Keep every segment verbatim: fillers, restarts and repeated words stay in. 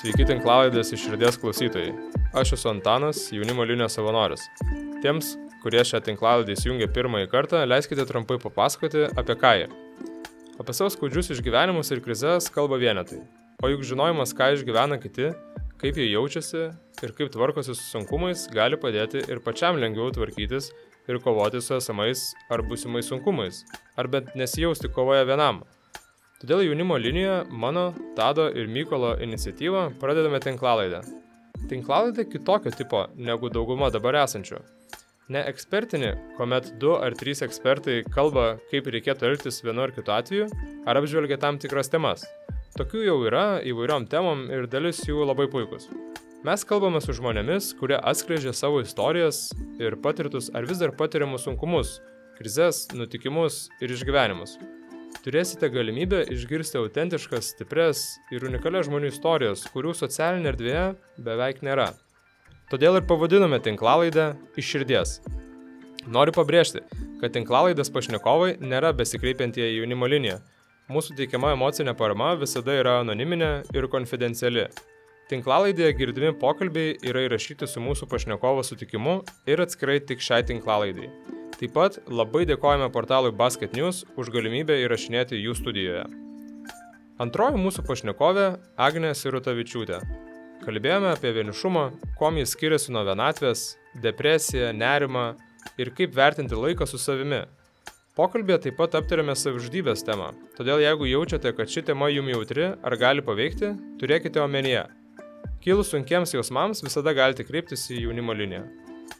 Sveiki tinklalaidės iš širdies klausytojai. Aš esu Antanas, jaunimo linijos savanoris. Tiems, kurie šią tinklalaidę įsijungia pirmąjį kartą, leiskite trumpai papasakoti apie ką jie. Apie savo skaudžius išgyvenimus ir krizes kalba vienetai. O juk žinojimas, ką išgyvena kiti, kaip jie jaučiasi ir kaip tvarkosi su sunkumais, gali padėti ir pačiam lengviau tvarkytis ir kovoti su esamais ar būsimais sunkumais, ar bent nesijausti kovoje vienam. Todėl jaunimo linijoje mano, Tado ir Mykolo iniciatyvą pradedame tinklalaidę. Tinklalaidę kitokio tipo negu dauguma dabar esančių. Ne ekspertinį, kuomet du ar trys ekspertai kalba, kaip reikėtų elgtis vienu ar kitu atveju, ar apžvelgia tam tikras temas. Tokių jau yra įvairiom temom ir dalis jų labai puikus. Mes kalbame su žmonėmis, kurie atskleidžia savo istorijas ir patirtus ar vis dar patiriamus sunkumus, krizes, nutikimus ir išgyvenimus. Turėsite galimybę išgirsti autentiškas, stipres ir unikalias žmonių istorijas, kurių socialinė erdvėje beveik nėra. Todėl ir pavadinome tinklalaidę iš širdies. Noriu pabrėžti, kad tinklalaidės pašnekovai nėra besikreipiantieji jaunimo linija. Mūsų teikiama emocinė parama visada yra anoniminė ir konfidenciali. Tinklalaidėje girdimi pokalbiai yra įrašyti su mūsų pašnekovo sutikimu ir atskirai tik šiai tinklalaidai. Taip pat labai dėkojame portalui Basket News už galimybę įrašinėti jų studijoje. Antroji mūsų pašnekovė Agnė Sirutavičiūtė. Kalbėjome apie vienišumą, kuom jis skiriasi nuo vienatvės, depresiją, nerimą ir kaip vertinti laiką su savimi. Pokalbėje taip pat aptarėme savižudybės temą, todėl jeigu jaučiate, kad ši tema jums jautri ar gali paveikti, turėkite omenyje. Kilus sunkiems jausmams visada galite kreiptis į jaunimo liniją.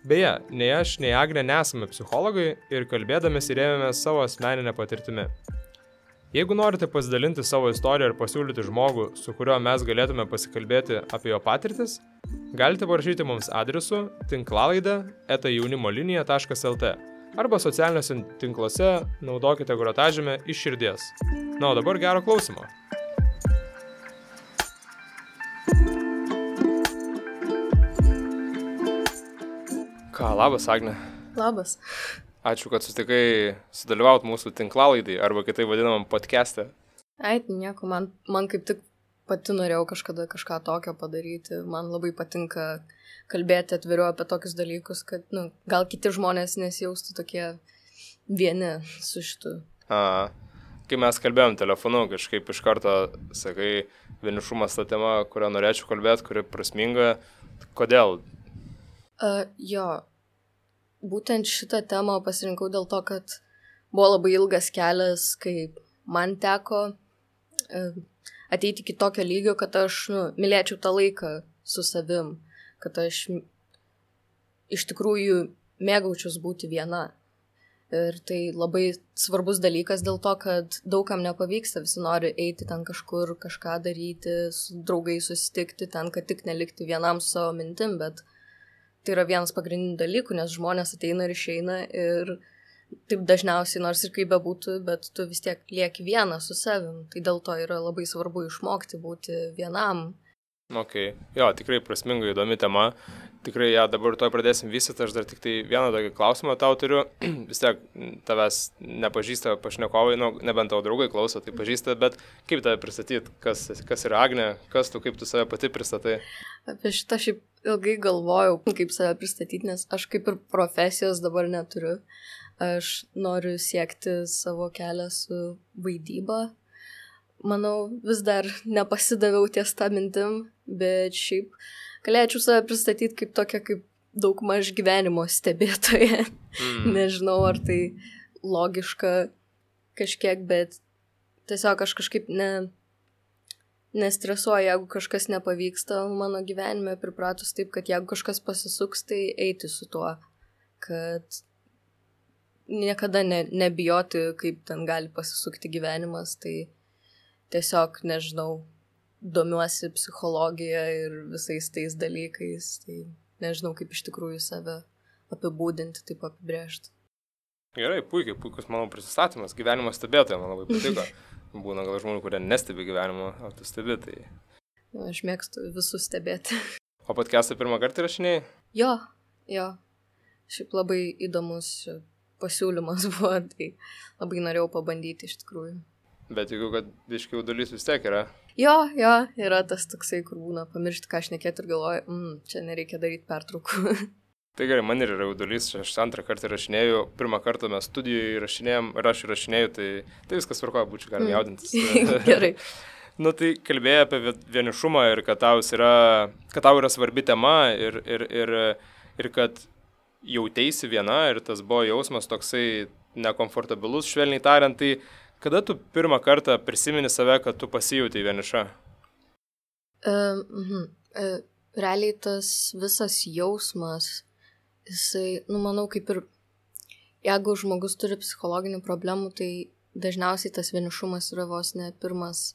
Beje, nei aš, nei Agnė nesame psichologai ir kalbėdamės įrėmėme savo asmeninę patirtimi. Jeigu norite pasidalinti savo istoriją ir pasiūlyti žmogų, su kuriuo mes galėtume pasikalbėti apie jo patirtis, galite parašyti mums adresu tinklalaidė eta jaunimolinija taškas lt arba socialiniuose tinkluose naudokite grotažymę iš širdies. Na, o dabar gero klausimo. Ką, labas, Agne. Labas. Ačiū, kad sutikai sudalyvaut mūsų tinklalaidai, arba kitaip vadinamam podcast'e. Ai, nieko, man, man kaip tik pati norėjau kažkada kažką tokio padaryti. Man labai patinka kalbėti atviriau apie tokius dalykus, kad nu, gal kiti žmonės nesijaustų tokie vieni su šitu. A, kai mes kalbėjom telefonu, kažkaip iš karto sakai, vienišumas ta tema, kurią norėčiau kalbėti, kuri prasminga. Kodėl? Uh, jo, būtent šitą temą pasirinkau dėl to, kad buvo labai ilgas kelias, kai man teko uh, ateiti iki tokio lygio, kad aš nu, mylėčiau tą laiką su savim, kad aš iš tikrųjų mėgaučiaus būti viena. Ir tai labai svarbus dalykas dėl to, kad daugam nepavyksta, visi nori eiti ten kažkur, kažką daryti, su draugais susitikti ten, kad tik nelikti vienam su savo mintim, bet tai yra vienas pagrindinių dalykų, nes žmonės ateina ir išeina ir taip dažniausiai, nors ir kaip bebūtų, bet tu vis tiek lieki vienas su savim. Tai dėl to yra labai svarbu išmokti būti vienam. Ok, jo, tikrai prasminga, įdomi tema. Tikrai ją ja, dabar toj pradėsim vystyti, aš dar tik tai vieną tokį klausimą tau turiu. Vis tiek tavęs nepažįsta pašnekovai, nu, nebent tavo draugai klauso, tai pažįsta, bet kaip tave pristatyti, kas, kas yra Agnė, kas tu, kaip tu save pati pristatai? Apie šitą šiaip ilgai galvojau, kaip save pristatyti, nes aš kaip ir profesijos dabar neturiu. Aš noriu siekti savo kelią su vaidyba. Manau, vis dar nepasidaviau ties tą mintim, bet šiaip galėčiau save pristatyti kaip tokia, kaip daugmaž gyvenimo stebėtoja. Mm. Nežinau, ar tai logiška kažkiek, bet tiesiog aš kažkaip ne, nestresuoju, jeigu kažkas nepavyksta mano gyvenime, pripratus taip, kad jeigu kažkas pasisuks, tai eiti su tuo, kad niekada ne, nebijoti, kaip ten gali pasisukti gyvenimas, tai tiesiog, nežinau, domiuosi psichologija ir visais tais dalykais, tai nežinau, kaip iš tikrųjų save apibūdinti, taip apibrėžti. Gerai, puikiai, puikus mano prisistatymas, gyvenimo stebėtoja, man labai patiko. Būna gal žmonių, kurie nestebi gyvenimo, o tu stebi, tai... Aš mėgstu visus stebėti. O podcast'ą pirmą kartą įrašinėjai? Jo, jo. Šiaip labai įdomus pasiūlymas buvo, tai labai norėjau pabandyti iš tikrųjų. Bet jeigu, kad biškių dalis vis tiek yra. Jo, jo, yra tas toksai, kur būna pamiršti, ką aš nekėt ir galvoju, mm, čia nereikia daryti pertraukų. Tai gerai, man ir yra jaudulys, aš antrą kartą rašinėjau, pirmą kartą mes studijoje rašinėjom ir aš rašinėjau, tai, tai viskas tvarkoja, būčiau galim jaudintis. Gerai. Nu tai kalbėjai apie vienišumą ir kad tau yra, kad tau yra svarbi tema ir, ir, ir, ir kad jauteisi viena ir tas buvo jausmas toksai nekomfortabilus, švelniai tariant, tai kada tu pirmą kartą prisimeni save, kad tu pasijautai vieniša? Uh, uh, uh, realiai tas visas jausmas, jisai, nu manau, kaip ir jeigu žmogus turi psichologinių problemų, tai dažniausiai tas vienišumas yra vos ne pirmas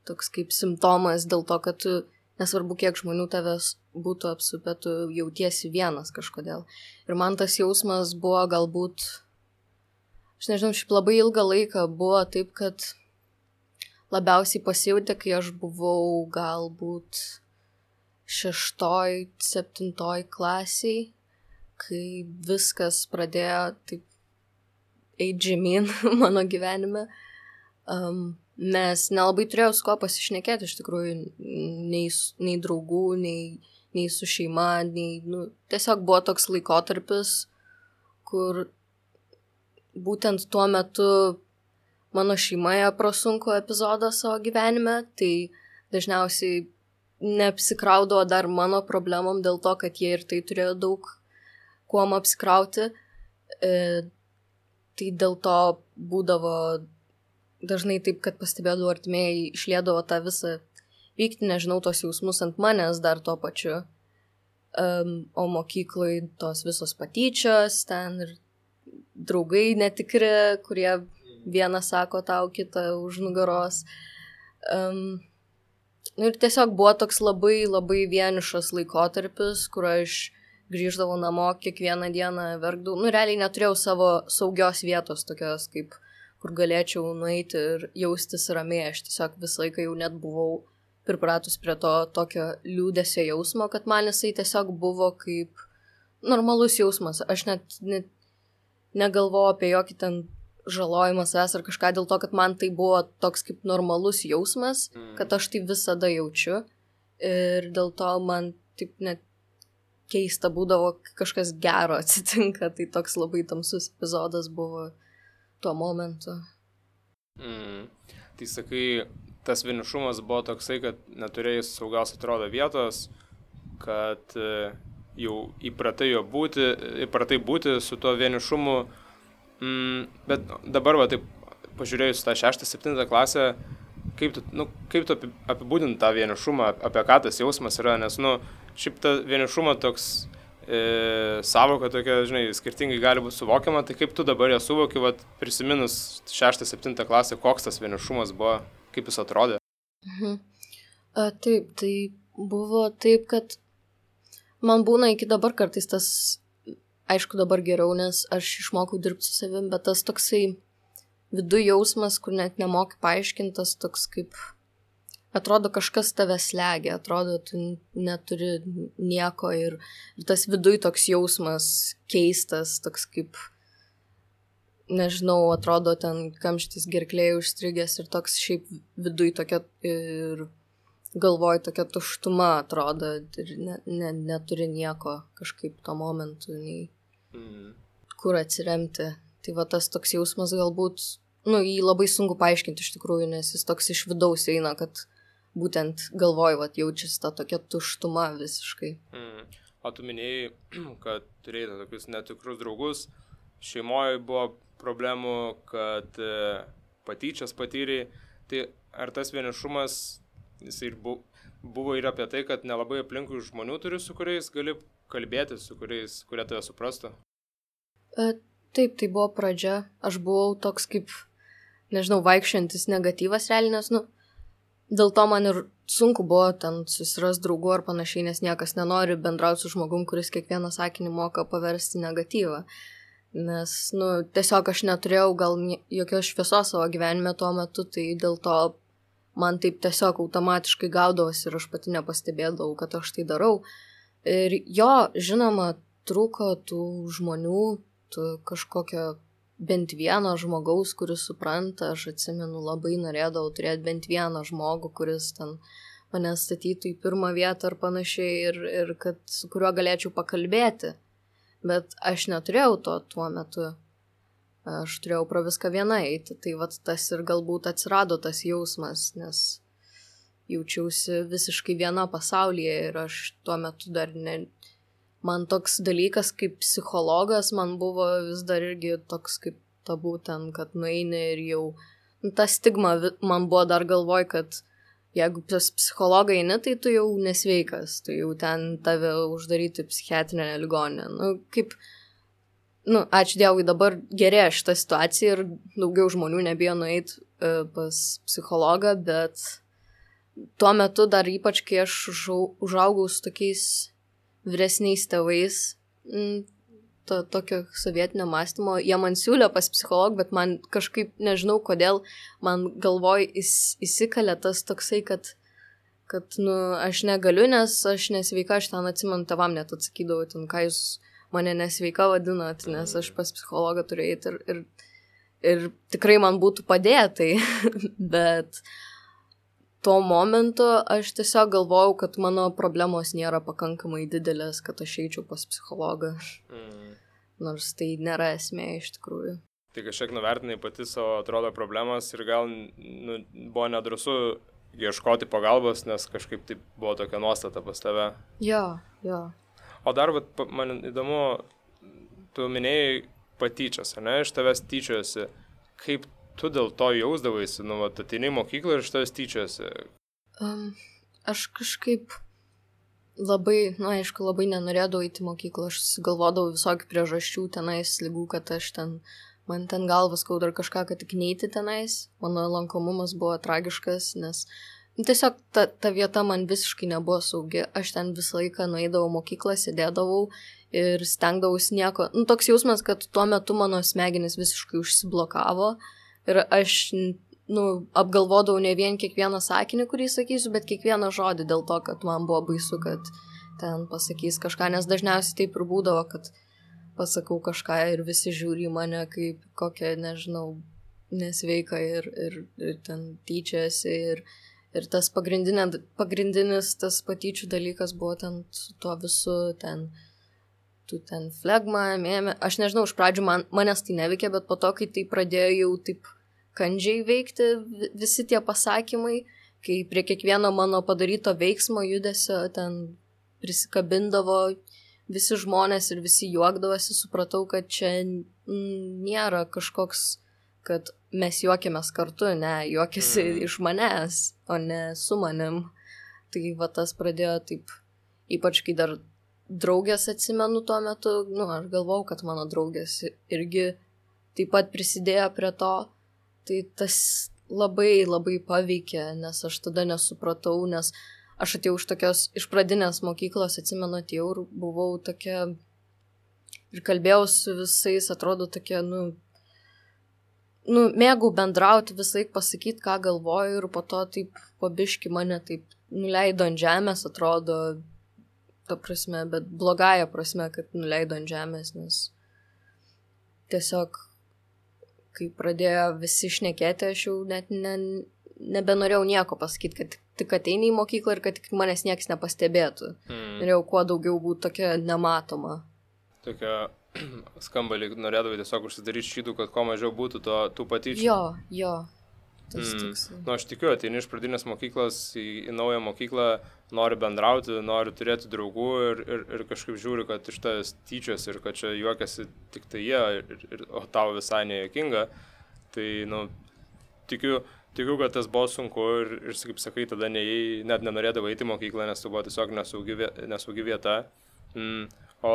toks kaip simptomas dėl to, kad tu, nesvarbu kiek žmonių tavęs būtų apsupę, tu jautiesi vienas kažkodėl. Ir man tas jausmas buvo galbūt, aš nežinau, šiaip labai ilgą laiką buvo taip, kad labiausiai pasijautė, kai aš buvau galbūt šeštoj, septintoj klasiai, kai viskas pradėjo taip eit žemyn mano gyvenime. Um, nes nelabai turėjau su ko pasišnekėti, iš tikrųjų, nei, nei draugų, nei, nei su šeima, nei, nu, tiesiog buvo toks laikotarpis, kur būtent tuo metu mano šeimoje prasunko epizodą savo gyvenime, tai dažniausiai neapsikraudavo dar mano problemom dėl to, kad jie ir tai turėjo daug kuom apsikrauti. E, tai dėl to būdavo dažnai taip, kad pastebėdavo artimieji išliedavo tą visą vykti, nežinau, tos jausmus ant manęs dar tuo pačiu. Um, o mokyklai tos visos patyčios, ten ir draugai netikri, kurie vieną sako tau, kitą už nugaros. Um, nu ir tiesiog buvo toks labai, labai vienišas laikotarpis, kur aš grįždavau namo kiekvieną dieną, verkdavau. Nu, realiai neturėjau savo saugios vietos tokios, kaip kur galėčiau nueiti ir jaustis ramiai. Aš tiesiog visą laiką jau net buvau pripratus prie to tokio liūdesio jausmo, kad man jisai tiesiog buvo kaip normalus jausmas. Aš net, net negalvojau apie jokį ten žalojimą savęs ar kažką dėl to, kad man tai buvo toks kaip normalus jausmas, kad aš tai visada jaučiu. Ir dėl to man taip net keista būdavo, kažkas gero atsitinka, tai toks labai tamsus epizodas buvo tuo momentu. Mm. Tai sakai, tas vienišumas buvo toksai, kad neturėjai saugios atrodo vietos, kad jau įpratai jo būti, įpratai būti su tuo vienišumu, mm, bet dabar va taip pažiūrėjus tą šeštą, septintą klasę, kaip tu, nu, kaip tu apibūdinti tą vienišumą, apie ką tas jausmas yra, nes, nu, šiaip ta vienišumo toks e, savoka tokia, žinai, skirtingai gali būti suvokiama, tai kaip tu dabar ją suvoki, vat, prisiminus šeštą, septintą klasę, koks tas vienišumas buvo, kaip jis atrodė? Mhm. A, taip, tai buvo taip, kad man būna iki dabar kartais tas, aišku dabar geriau, nes aš išmokau dirbti su savim, bet tas toksai vidų jausmas, kur net nemoki paaiškintas, toks kaip atrodo kažkas tave slegia, atrodo tu neturi nieko ir, ir tas viduj toks jausmas keistas, toks kaip, nežinau, atrodo ten kamštis gerklėje užstrigęs ir toks šiaip viduj tokia ir galvoj tokia tuštuma atrodo ir ne, ne, neturi nieko kažkaip tuo momentu, nei mm. kur atsiremti. Tai va tas toks jausmas galbūt, nu, jį labai sunku paaiškinti iš tikrųjų, nes jis toks iš vidaus eina, kad būtent galvoj, vat, jaučiasi ta tokia tuštuma visiškai. Mm. O tu minėjai, kad turėjai tokius netikrus draugus, šeimoje buvo problemų, kad e, patyčias patyrė, tai ar tas vienišumas, jis ir bu, buvo ir apie tai, kad nelabai aplinkui žmonių turi, su kuriais gali kalbėti, su kuriais, kurie tave suprastų? E, taip, tai buvo pradžia. Aš buvau toks kaip, nežinau, vaikščiantis negatyvas realiai, nes, nu, dėl to man ir sunku buvo ten susiras draugų ar panašiai, nes niekas nenori bendrauti su žmogum, kuris kiekvieną sakinį moka paversti negatyvą. Nes, nu, tiesiog aš neturėjau gal jokios šviesos savo gyvenime tuo metu, tai dėl to man taip tiesiog automatiškai gaudavosi ir aš pati nepastebėdavau, kad aš tai darau. Ir jo, žinoma, trūko tų žmonių, tų kažkokio bent vieno žmogaus, kuris supranta, aš atsimenu, labai norėdavau turėti bent vieną žmogų, kuris ten mane statytų į pirmą vietą ar panašiai ir, ir kad su kuriuo galėčiau pakalbėti. Bet aš neturėjau to tuo metu. Aš turėjau pro viską vieną eiti. Tai vat tas ir galbūt atsirado tas jausmas, nes jaučiausi visiškai viena pasaulyje ir aš tuo metu dar ne... Man toks dalykas kaip psichologas man buvo vis dar irgi toks kaip tabu ten, kad nueini ir jau... Nu, ta stigma man buvo dar galvoj, kad jeigu pas psichologą eini, tai tu jau nesveikas, tu jau ten tave uždaryti psichiatrinę ligoninę. Nu, kaip... Nu, ačiū Dievui, dabar gerėja šitą situaciją ir daugiau žmonių nebijo nueiti uh, pas psichologą, bet tuo metu dar ypač, kai aš užaugau su tokiais vyresniais tėvais, to tokio sovietinio mąstymo, jie man siūlė pas psichologą, bet man kažkaip, nežinau kodėl, man galvoj įs, įsikalė tas toksai, kad, kad nu, aš negaliu, nes aš nesveika, aš ten atsimenu, tėvam net atsakydavau, ten, ką jūs mane nesveika vadinat, nes aš pas psichologą turiu eiti ir, ir, ir tikrai man būtų padėtai, bet tuo momentu aš tiesiog galvojau, kad mano problemos nėra pakankamai didelės, kad aš eičiau pas psichologą. Mm. Nors tai nėra esmė iš tikrųjų. Tai kažkiek nuvertinai pati savo, atrodo, problemas ir gal nu, buvo nedrąsu ieškoti pagalbos, nes kažkaip taip buvo tokia nuostata pas tave. Jo, jo. O dar, bet, man įdomu, tu minėjai patyčias, ne, iš tavęs tyčiosi, kaip tu dėl to jausdavaisi, nu, vat, ateini į mokyklą ir iš tavęs tyčiasi? Um, aš kažkaip labai, nu, aišku, labai nenorėdavau eiti į mokyklą, aš galvodavau visokių priežasčių tenais, ligų, kad aš ten, man ten galvas skauda ar kažką, kad tik neiti tenais, mano lankomumas buvo tragiškas, nes nu, tiesiog ta, ta vieta man visiškai nebuvo saugi, aš ten visą laiką nueidavau mokyklą, sėdėdavau ir stengdavausi nieko, nu, toks jausmas, kad tuo metu mano smegenis visiškai užsiblokavo. Ir aš, nu, apgalvodavau ne vien kiekvieną sakinį, kurį sakysiu, bet kiekvieną žodį dėl to, kad man buvo baisu, kad ten pasakys kažką, nes dažniausiai taip ir būdavo, kad pasakau kažką ir visi žiūri į mane kaip kokią, nežinau, nesveiką ir, ir, ir ten tyčiasi ir, ir tas pagrindinis tas patyčių dalykas buvo ten su tuo visu, ten, tu ten flegma, mėmė, aš nežinau, iš pradžių man, manęs tai neveikė, bet po to, kai tai pradėjo jau taip kandžiai veikti visi tie pasakymai, kai prie kiekvieno mano padaryto veiksmo judesio ten prisikabindavo visi žmonės ir visi juokdavosi, supratau, kad čia nėra kažkoks, kad mes juokiamės kartu, ne, juokiasi mm. iš manęs, o ne su manim. Tai va tas pradėjo taip, ypač kai dar draugės atsimenu tuo metu, nu, aš galvau, kad mano draugės irgi taip pat prisidėjo prie to. Tai tas labai, labai paveikė, nes aš tada nesupratau, nes aš atėjau iš tokios, iš pradinės mokyklos, atsimenu, atėjau ir buvau tokia, ir kalbėjau su visais, atrodo tokia, nu, nu mėgau bendrauti, visai pasakyti, ką galvoju, ir po to taip pabiški mane taip nuleido ant žemės, atrodo, ta prasme, bet blogąja prasme, kad nuleido ant žemės, nes tiesiog kai pradėjo visi šnekėti, aš jau net ne, nebenorėjau nieko pasakyti, kad tik ateini į mokyklą ir kad tik manęs niekas nepastebėtų. Mm. Norėjau kuo daugiau būti tokia nematoma. Tokia skamba, lyg norėdavai tiesiog užsidaryti šydų, kad kuo mažiau būtų to, tų patyčių. Jo, jo. Tas mm. toks. Nu, aš tikiu, ateini iš pradinės mokyklos į, į naują mokyklą, nori bendrauti, nori turėti draugų ir, ir, ir kažkaip žiūri, kad iš tavęs tyčios ir kad čia juokiasi tik tai jie, ir, ir, o tau visai nejuokinga. Tai, nu, tikiu, tikiu, kad tas buvo sunku ir, ir kaip sakai, tada neėjai, net nenorėdavai eiti į mokyklą, nes tai buvo tiesiog nesaugi, nesaugi vieta. Mm. O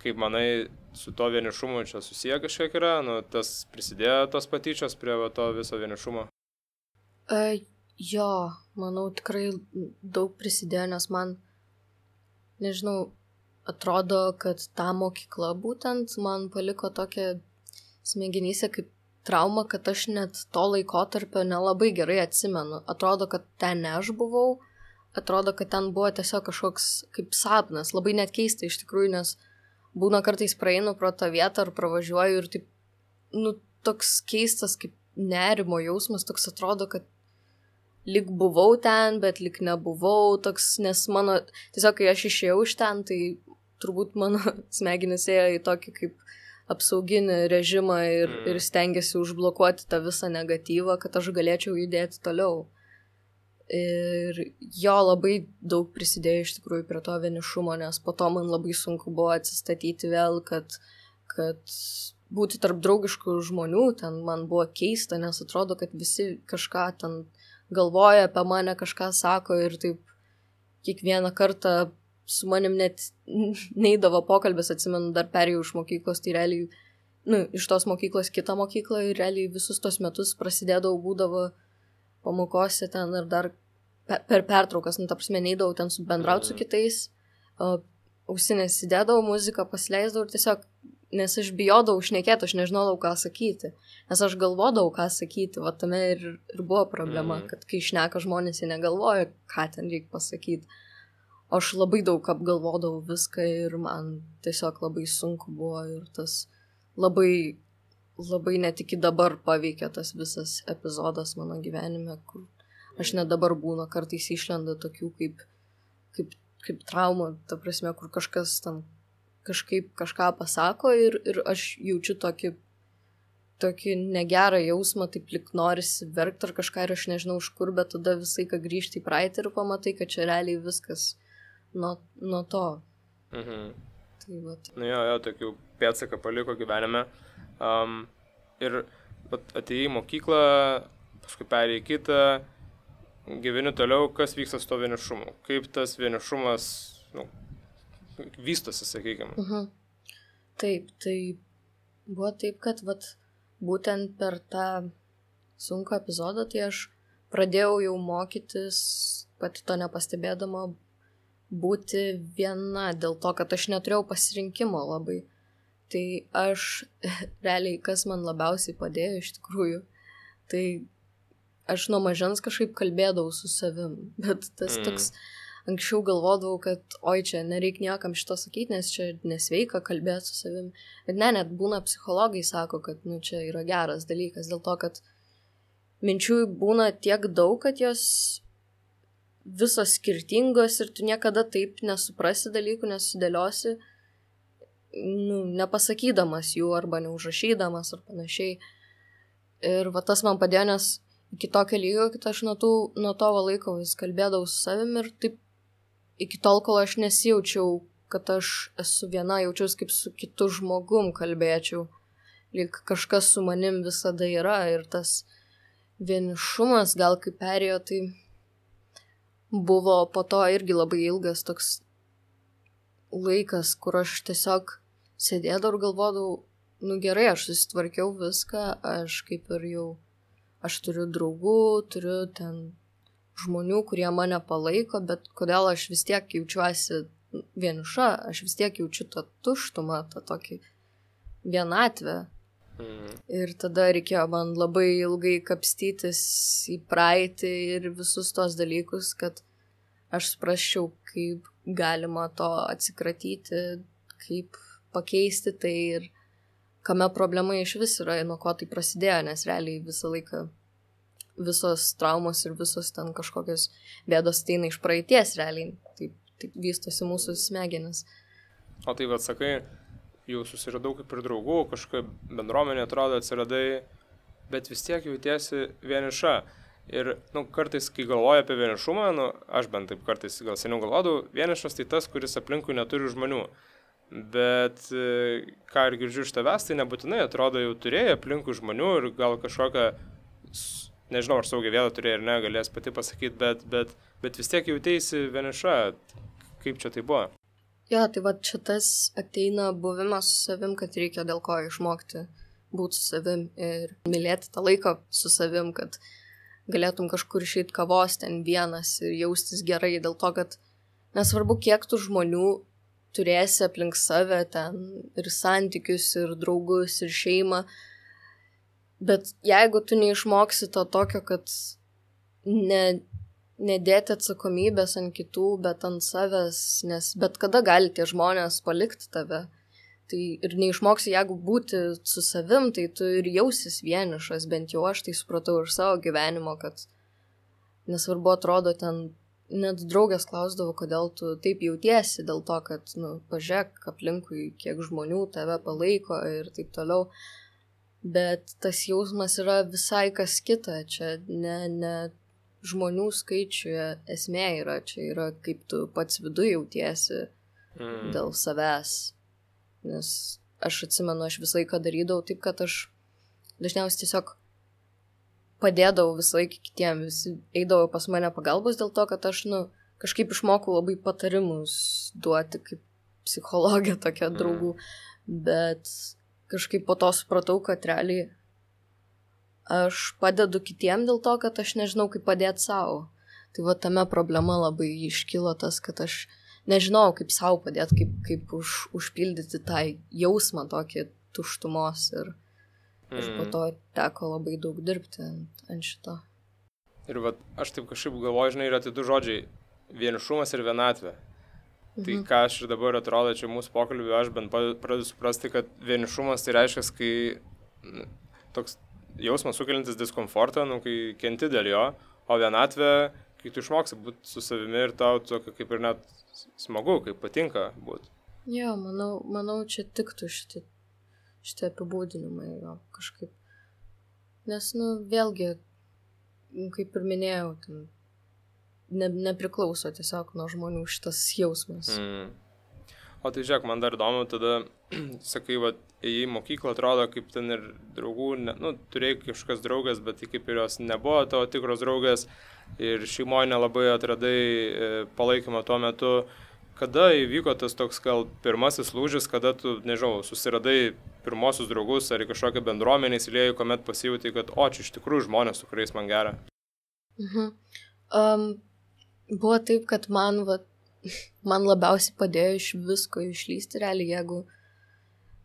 kaip manai, su to vienišumu čia susiję kažkiek yra, nu, tas prisidėjo tos patyčios prie va, to viso vienišumo? Uh, jo, manau, tikrai daug prisidėjo, nes man, nežinau, atrodo, kad ta mokykla būtent man paliko tokią smegenyse kaip trauma, kad aš net to laikotarpio nelabai gerai atsimenu. Atrodo, kad ten ne aš buvau, atrodo, kad ten buvo tiesiog kažkoks kaip sapnas, labai net keista iš tikrųjų, nes būna kartais praeinu pro tą vietą ar pravažiuoju ir taip nu, toks keistas kaip nerimo jausmas, toks atrodo, kad lyg buvau ten, bet lyg nebuvau, toks, nes mano, tiesiog kai aš išėjau iš ten, tai turbūt mano smegenys ėjo į tokį kaip apsauginį režimą ir, ir stengiasi užblokuoti tą visą negatyvą, kad aš galėčiau judėti toliau. Ir jo labai daug prisidėjo iš tikrųjų prie to vienišumo, nes po to man labai sunku buvo atsistatyti vėl, kad, kad būti tarp draugiškų žmonių, ten man buvo keista, nes atrodo, kad visi kažką ten galvoja apie mane, kažką sako ir taip kiekvieną kartą su manim net neidavo pokalbis, atsimenu, dar perėjau iš mokyklos, tai realiai, nu, iš tos mokyklos kitą mokyklą ir realiai visus tos metus prasidėdavau, būdavo pamokose ten ir dar per pertraukas, nu, ta prasme, neidavau ten su bendrauti su kitais, ausinės įdėdavau, muziką pasileisdavau ir tiesiog, nes aš bijodavau šnekėti, aš nežinodavau, ką sakyti, nes aš galvodavau, ką sakyti, va tame ir, ir buvo problema, mm. kad kai šneka žmonės, jie negalvoja, ką ten reikia pasakyti. O aš labai daug apgalvodavau viską ir man tiesiog labai sunku buvo ir tas labai, labai net iki dabar paveikė tas visas epizodas mano gyvenime, kur aš net dabar būna, kartais išlenda tokių kaip, kaip, kaip trauma, ta prasme, kur kažkas ten kažkaip kažką pasako ir, ir aš jaučiu tokį, tokį negerą jausmą, taip lyg norisi verkti ar kažką ir aš nežinau iš kur, bet tada visai, kad grįžti į praeitį ir pamatai, kad čia realiai viskas nuo, nuo to. Mhm. Tai vat. Nu jo, jo, tokių pėdsaką paliko gyvenime. Um, ir atėjai į mokyklą, paskui perėjai į kitą, gyveni toliau, kas vyksta su to vienišumu? Kaip tas vienišumas, nu, vystosi, sakykime? Mhm. Taip, tai buvo taip, kad vat, būtent per tą sunkų epizodą, tai aš pradėjau jau mokytis, pati to nepastebėdama, būti viena, dėl to, kad aš neturėjau pasirinkimo labai. Tai aš, realiai, kas man labiausiai padėjo iš tikrųjų, tai aš nuo mažens kažkaip kalbėdavau su savim, bet tas mm. toks, anksčiau galvodavau, kad oi, čia nereik niekam šito sakyti, nes čia nesveika kalbėti su savim. Bet ne, net būna psichologai sako, kad nu, čia yra geras dalykas, dėl to, kad minčių būna tiek daug, kad jos visos skirtingos ir tu niekada taip nesuprasi dalykų, nesudėliosi, nu, nepasakydamas jų arba neužrašydamas ar panašiai. Ir va tas man padėjo, nes iki tokio lygio, kad aš nuo, tų, nuo to laiko vis kalbėdavau su savim ir taip iki tol, kol aš nesijaučiau, kad aš esu viena, jaučiausi kaip su kitu žmogum kalbėčiau. Lyg kažkas su manim visada yra ir tas vienišumas gal kaip perėjo, tai buvo po to irgi labai ilgas toks laikas, kur aš tiesiog sėdėdavau ir galvodavau, nu gerai, aš susitvarkiau viską, aš kaip ir jau, aš turiu draugų, turiu ten žmonių, kurie mane palaiko, bet kodėl aš vis tiek jaučiuosi vieniša, aš vis tiek jaučiu tą tuštumą, tą tokį vienatvę. Mm. Ir tada reikėjo man labai ilgai kapstytis į praeitį ir visus tos dalykus, kad aš suprasčiau, kaip galima to atsikratyti, kaip pakeisti tai ir kame problema iš vis yra, nuo ko tai prasidėjo, nes realiai visą laiką visos traumos ir visos ten kažkokios bėdos ateina iš praeities realiai, taip, taip vystosi mūsų smegenis. O tai vat sakai, jau susiradau kaip ir draugų, kažkokia bendruomenė atrodo atsiradai, bet vis tiek jautiesi vieniša. Ir nu, kartais, kai galvoju apie vienišumą, nu, aš bent taip kartais gal seniau galvodavau, vienišas tai tas, kuris aplinkui neturi žmonių. Bet ką ir girdžiu iš tavęs, tai nebūtinai atrodo jau turėjai aplinkui žmonių ir gal kažkokią, nežinau, ar saugią vietą turėjai ar ne, galės pati pasakyti, bet, bet, bet vis tiek jauteisi vieniša. Kaip čia tai buvo? Jo, tai va čia tas ateina buvimas su savim, kad reikia dėl ko išmokti būti su savim ir mylėti tą laiką su savim, kad galėtum kažkur išeiti kavos ten vienas ir jaustis gerai, dėl to, kad nesvarbu, kiek tų žmonių turėsi aplink save ten ir santykius, ir draugus, ir šeimą, bet jeigu tu neišmoksi to tokio, kad ne, nedėti atsakomybės ant kitų, bet ant savęs, nes bet kada gali tie žmonės palikti tave, Tai ir neišmoksi, jeigu būti su savim, tai tu ir jausis vienišas, bent jau aš tai supratau iš savo gyvenimo, kad nesvarbu atrodo ten, net draugės klausdavo, kodėl tu taip jautiesi, dėl to, kad, nu, pažiūrėk aplinkui, kiek žmonių tave palaiko ir taip toliau. Bet tas jausmas yra visai kas kita, čia ne, ne žmonių skaičiuje esmė yra, čia yra kaip tu pats viduje jautiesi mm. dėl savęs. Nes aš atsimenu, aš visą laiką darydavau taip, kad aš dažniausiai tiesiog padėdavau visą laiką kitiem, visi eidavo pas mane pagalbos dėl to, kad aš, nu, kažkaip išmokau labai patarimus duoti kaip psichologė tokia draugų, mm. bet kažkaip po to supratau, kad realiai aš padedu kitiem dėl to, kad aš nežinau, kaip padėti savo. Tai va tame problema labai iškilo tas, kad aš nežinau, kaip savo padėti, kaip, kaip už, užpildyti tą jausmą tokį tuštumos ir, mm. ir po to teko labai daug dirbti ant, ant šito. Ir va, aš taip kažkaip galvoju, žinai, yra tai du žodžiai – vienišumas ir vienatvė. Mhm. Tai ką aš ir dabar atrodo, čia mūsų pokalbį, aš bent pradedu suprasti, kad vienišumas tai reiškia, kai toks jausmas sukeliantis diskomfortą, nu, kai kenti dėl jo, o vienatvė, kai tu išmoksi būti su savimi ir tau tokio kaip ir net smagu, kaip patinka būti. Jo, manau, manau čia tiktų šitie, šitie apibūdinimai jo, kažkaip. Nes, nu, vėlgi, kaip ir minėjau, ten ne, nepriklauso tiesiog nuo žmonių šitas jausmas. Mm. O tai žiūrėk, man dar įdomu, tada, sakai, va, į mokyklą atrodo, kaip ten ir draugų, ne, nu, turėjai kažkokias draugas, bet tai kaip ir jos nebuvo tavo tikros draugas ir šeimoje nelabai atradai e, palaikymą tuo metu. Kada įvyko tas toks gal pirmasis lūžis, kada tu, nežinau, susiradai pirmosius draugus ar į kažkokią bendruomenę įsiliejai, kuomet pasijautai, kad o, čia iš tikrųjų žmonės, su kuriais man gera? Mhm. Um, buvo taip, kad man, va, man labiausiai padėjo iš visko išlysti, realiai, jeigu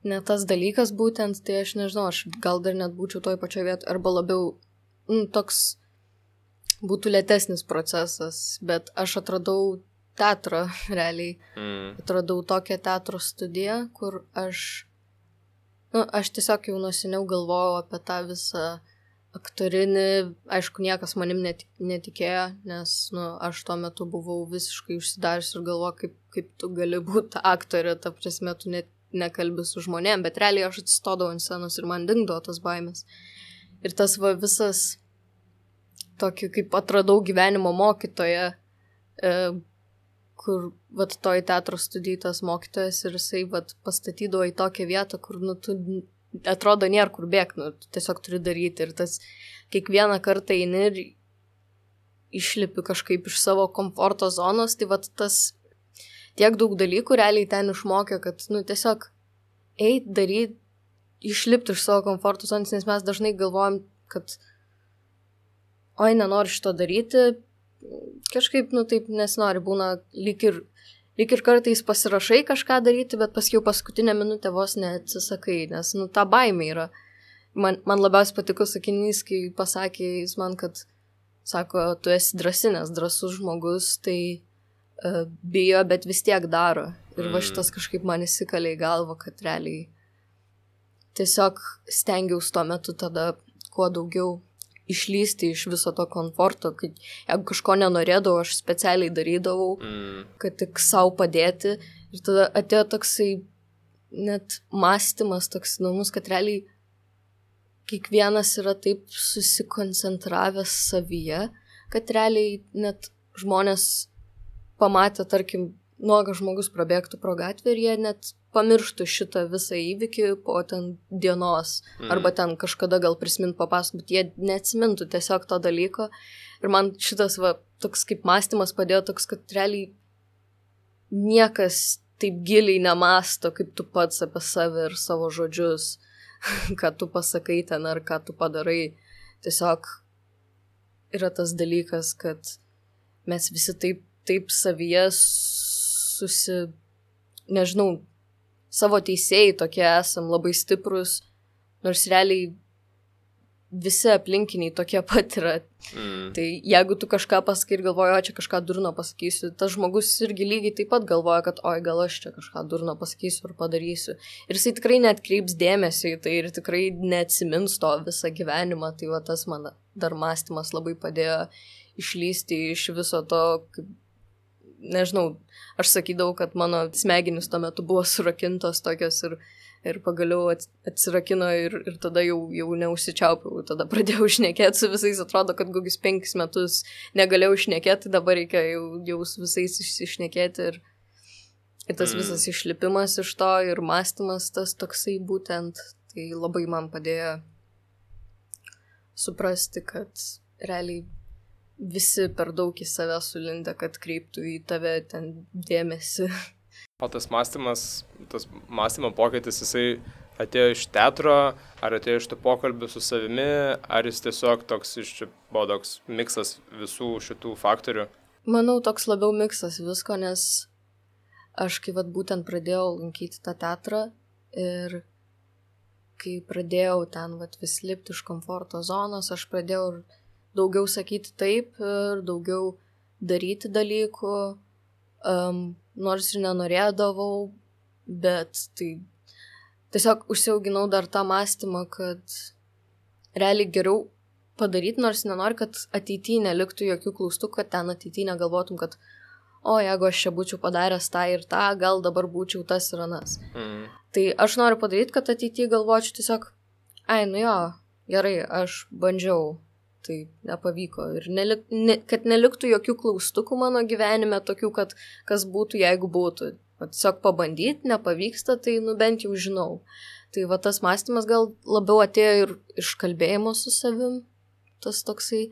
ne tas dalykas būtent, tai aš nežinau, aš gal dar net būčiau toj pačioje vietoje, arba labiau nu, toks būtų lėtesnis procesas, bet aš atradau teatrą, realiai. Mm. Atradau tokią teatro studiją, kur aš, nu, aš tiesiog jau nuo seniau galvojau apie tą visą aktorinį, aišku, niekas manim netik, netikėjo, nes, nu, aš tuo metu buvau visiškai užsidarius ir galvojau, kaip, kaip tu gali būti aktorė, ta prasme, tu net nekalbi su žmonėm, bet realiai aš atsistodavau ant scenos ir man dingdavo tas baimės. Ir tas va visas tokį, kaip atradau gyvenimo mokytoją, e, kur, vat, toj teatro studijai tas mokytojas ir jisai, vat, pastatydavo į tokią vietą, kur, nu, tu atrodo nėra kur bėgti, nu, tu tiesiog turi daryti ir tas kiekvieną kartą eini ir išlipi kažkaip iš savo komforto zonos, tai vat tas tiek daug dalykų realiai ten išmokė, kad, nu, tiesiog eit, daryt, išlipti iš savo komforto zonos, nes mes dažnai galvojam, kad oi, nenori šito daryti, kažkaip, nu, taip nesinori, būna lyg ir, lyg ir kartais pasirašai kažką daryti, bet paskiau paskutinę minutę vos neatsisakai, nes, nu, ta baimė yra. Man, man labiausiai patiko sakinys, kai pasakė jis man, kad, sako, tu esi drąsi, nes drąsus žmogus, tai uh, bijo, bet vis tiek daro. Ir va šitas kažkaip man įsikalė į galvą, kad realiai tiesiog stengiausi tuo metu tada kuo daugiau išlysti iš viso to komforto, kad jeigu kažko nenorėdavau, aš specialiai darydavau, mm. kad tik savo padėti. Ir tada atėjo toksai net mąstymas toks įdomus, kad realiai kiekvienas yra taip susikoncentravęs savyje, kad realiai net žmonės pamatė, tarkim, nuogas žmogus prabėgtų pro gatvę ir jie net pamirštų šitą visą įvykį po ten dienos, mm. arba ten kažkada gal prisimint papasakot, bet jie neatsimintų tiesiog to dalyko. Ir man šitas va, toks kaip mąstymas padėjo toks, kad realiai niekas taip giliai nemąsto, kaip tu pats apie save ir savo žodžius, ką tu pasakai ten ar ką tu padarai. Tiesiog yra tas dalykas, kad mes visi taip, taip savyje susi, nežinau, savo teisėjai tokie esam labai stiprus, nors realiai visi aplinkiniai tokie pat yra. Mm. Tai jeigu tu kažką pasakai ir galvoji, o čia kažką durno pasakysiu, tas žmogus irgi lygiai taip pat galvoja, kad oi, gal aš čia kažką durno pasakysiu ar padarysiu. Ir jisai tikrai neatkreips dėmesio į tai ir tikrai neatsimins to visą gyvenimą. Tai va tas man dar mąstymas labai padėjo išlysti iš viso to, kaip, nežinau, aš sakydavau, kad mano smegenys tuo metu buvo surakintos tokios ir Ir pagaliau atsirakino ir, ir tada jau, jau neužsičiaupiau. Tada pradėjau šnekėti su visais. Atrodo, kad kokius penkis metus negalėjau šnekėti, dabar reikia jau, jau su visais išsišnekėti. Ir, ir tas visas išlipimas iš to ir mąstymas tas toksai būtent. Tai labai man padėjo suprasti, kad realiai visi per daug į save sulindę, kad kreiptų į tave ten dėmesį. O tas mąstymas, tas mąstymo pokytis, jisai atėjo iš teatro, ar atėjo iš tų pokalbių su savimi, ar jis tiesiog toks iš čia buvo toks miksas visų šitų faktorių? Manau, toks labiau miksas visko, nes aš kai vat būtent pradėjau lankyti tą teatrą ir kai pradėjau ten vat vis lipti iš komforto zonos, aš pradėjau daugiau sakyti taip ir daugiau daryti dalykų. Um, nors ir nenorėdavau, bet tai tiesiog užsiauginau dar tą mąstymą, kad realiai geriau padaryti, nors nenori, kad ateityje neliktų jokių klaustukų, kad ten ateityje negalvotum, kad o, jeigu aš čia būčiau padaręs tą ir tą, gal dabar būčiau tas ir anas. Mm. Tai aš noriu padaryti, kad ateityje galvočiau tiesiog, ai, nu jo, gerai, aš bandžiau. Tai nepavyko ir nelik, ne, kad neliktų jokių klaustukų mano gyvenime, tokių, kad kas būtų, jeigu būtų. Va, tiesiog pabandyti, nepavyksta, tai nu bent jau žinau. Tai va tas mąstymas gal labiau atėjo ir iš kalbėjimo su savim, tas toksai.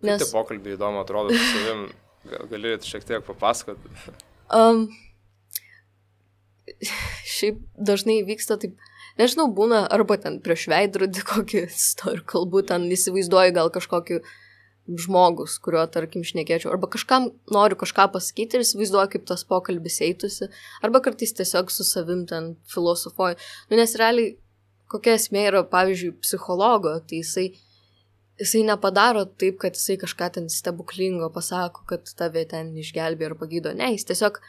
Nes... Kaip tie pokalbiai įdomu atrodo su savim, gal galėtumėte šiek tiek papasakoti? Um, šiaip dažnai vyksta taip, nežinau, būna arba ten prieš veidrodį kokį istoriją kalbu, ten įsivaizduoju gal kažkokį žmogus, kuriuo, tarkim, šnekėčiau, arba kažkam noriu kažką pasakyti ir įsivaizduoju, kaip tas pokalbis eitusi, arba kartais tiesiog su savim ten filosofuoju. Nu, nes realiai kokia esmė yra, pavyzdžiui, psichologo, tai jisai, jisai nepadaro taip, kad jisai kažką ten stebuklingo pasako, kad tave ten išgelbė ar pagydo. Ne, jis tiesiog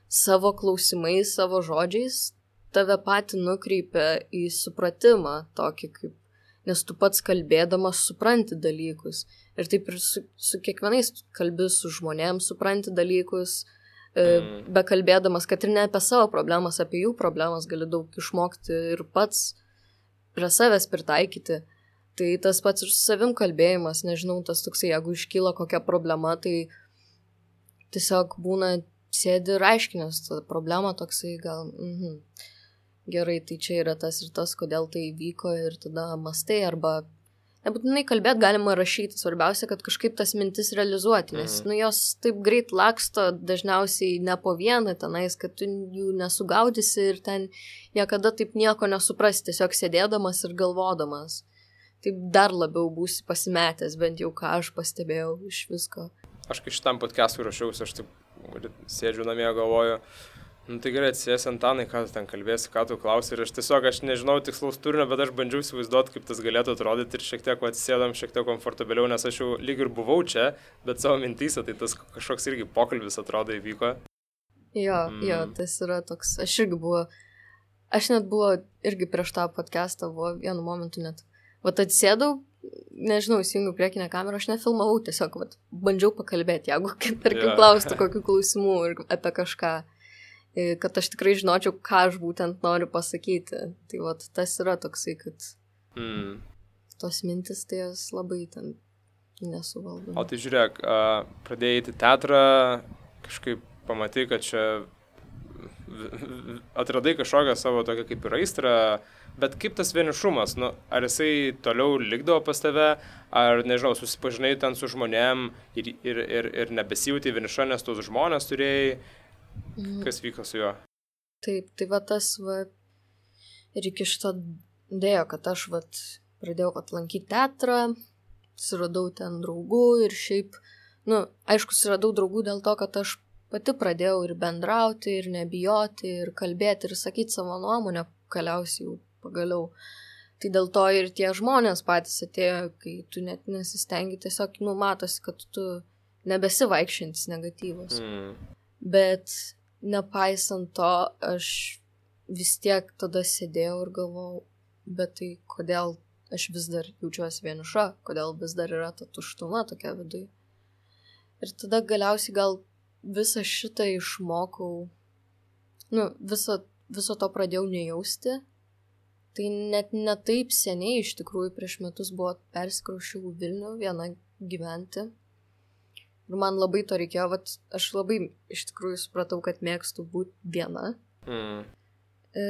savo klausimais, savo žodžiais tave patį nukreipia į supratimą tokį, kaip, nes tu pats kalbėdamas supranti dalykus. Ir taip ir su, su kiekvienais kalbi su žmonėms supranti dalykus, mm. be kalbėdamas, kad ir ne apie savo problemas, apie jų problemas gali daug išmokti ir pats prie savęs pritaikyti. Tai tas pats ir su savim kalbėjimas, nežinau, tas toksai, jeigu iškyla kokia problema, tai tiesiog būna sėdi ir aiškinės tą problemą toksai gal... Mhm. Gerai, tai čia yra tas ir tas, kodėl tai įvyko ir tada mastai arba nebūtinai kalbėti galima rašyti, svarbiausia, kad kažkaip tas mintis realizuoti, nes mm. nu, jos taip greit laksto dažniausiai ne po vieną tenais, kad tu jų nesugaudysi ir ten niekada taip nieko nesuprasi, tiesiog sėdėdamas ir galvodamas. Taip dar labiau būsi pasimetęs, bent jau ką aš pastebėjau iš visko. Aš kai šitam podcast'ui rašiausi, aš taip sėdžiu namie, galvoju, nu tai gerai, atsijęs Antanai, ką tu ten kalbėsi, ką tu klausi ir aš tiesiog, aš nežinau tikslaus turinio, bet aš bandžiau įsivaizduoti, kaip tas galėtų atrodyti ir šiek tiek atsisėdam, šiek tiek komfortabiliau, nes aš jau lyg ir buvau čia, bet savo mintyse, tai tas kažkoks irgi pokalbis atrodo įvyko. Jo, mm. jo, tas yra toks, aš irgi buvo, aš net buvo irgi prieš tą podcastą, buvo vienu momentu net, vat atsėdau, nežinau, įsijungiu priekinę kamerą, aš nefilmavau, tiesiog, vat, bandžiau pakalbėti, jeigu, tarkim, yeah. klaustų kokių klausimų ir apie kažką. Kad aš tikrai žinočiau, ką aš būtent noriu pasakyti. Tai vat, tas yra toksai, kad mm. tos mintis tai jos labai ten nesuvaldo. O tai žiūrėk, pradėjai į teatrą, kažkaip pamatai, kad čia atradai kažkokią savo tokią kaip ir aistrą, bet kaip tas vienišumas, nu, ar jisai toliau likdavo pas tave, ar, nežinau, susipažinai ten su žmonėm ir, ir, ir, ir nebesijauti vieniša, nes tos žmonės turėjai. Kas vyko su juo? Taip, tai va tas va ir iki šito dėjo, kad aš va pradėjau va lankyti teatrą, suradau ten draugų ir šiaip, nu, aišku, suradau draugų dėl to, kad aš pati pradėjau ir bendrauti, ir nebijoti, ir kalbėti, ir sakyti savo nuomonę, galiausiai jau pagaliau. Tai dėl to ir tie žmonės patys atėjo, kai tu net nesistengi, tiesiog, nu, matosi, kad tu nebesi vaikščiantis negatyvas. Mm. Bet nepaisant to, aš vis tiek tada sėdėjau ir galvojau, bet tai kodėl aš vis dar jaučiuosi vieniša, kodėl vis dar yra ta tuštuma tokia viduje. Ir tada galiausiai gal visą šitą išmokau, nu, viso, viso to pradėjau nejausti. Tai net ne taip seniai, iš tikrųjų, prieš metus buvo persikraušiau Vilnių vieną gyventi. Ir man labai to reikėjo, vat, aš labai iš tikrųjų supratau, kad mėgstu būti viena. Mm. E,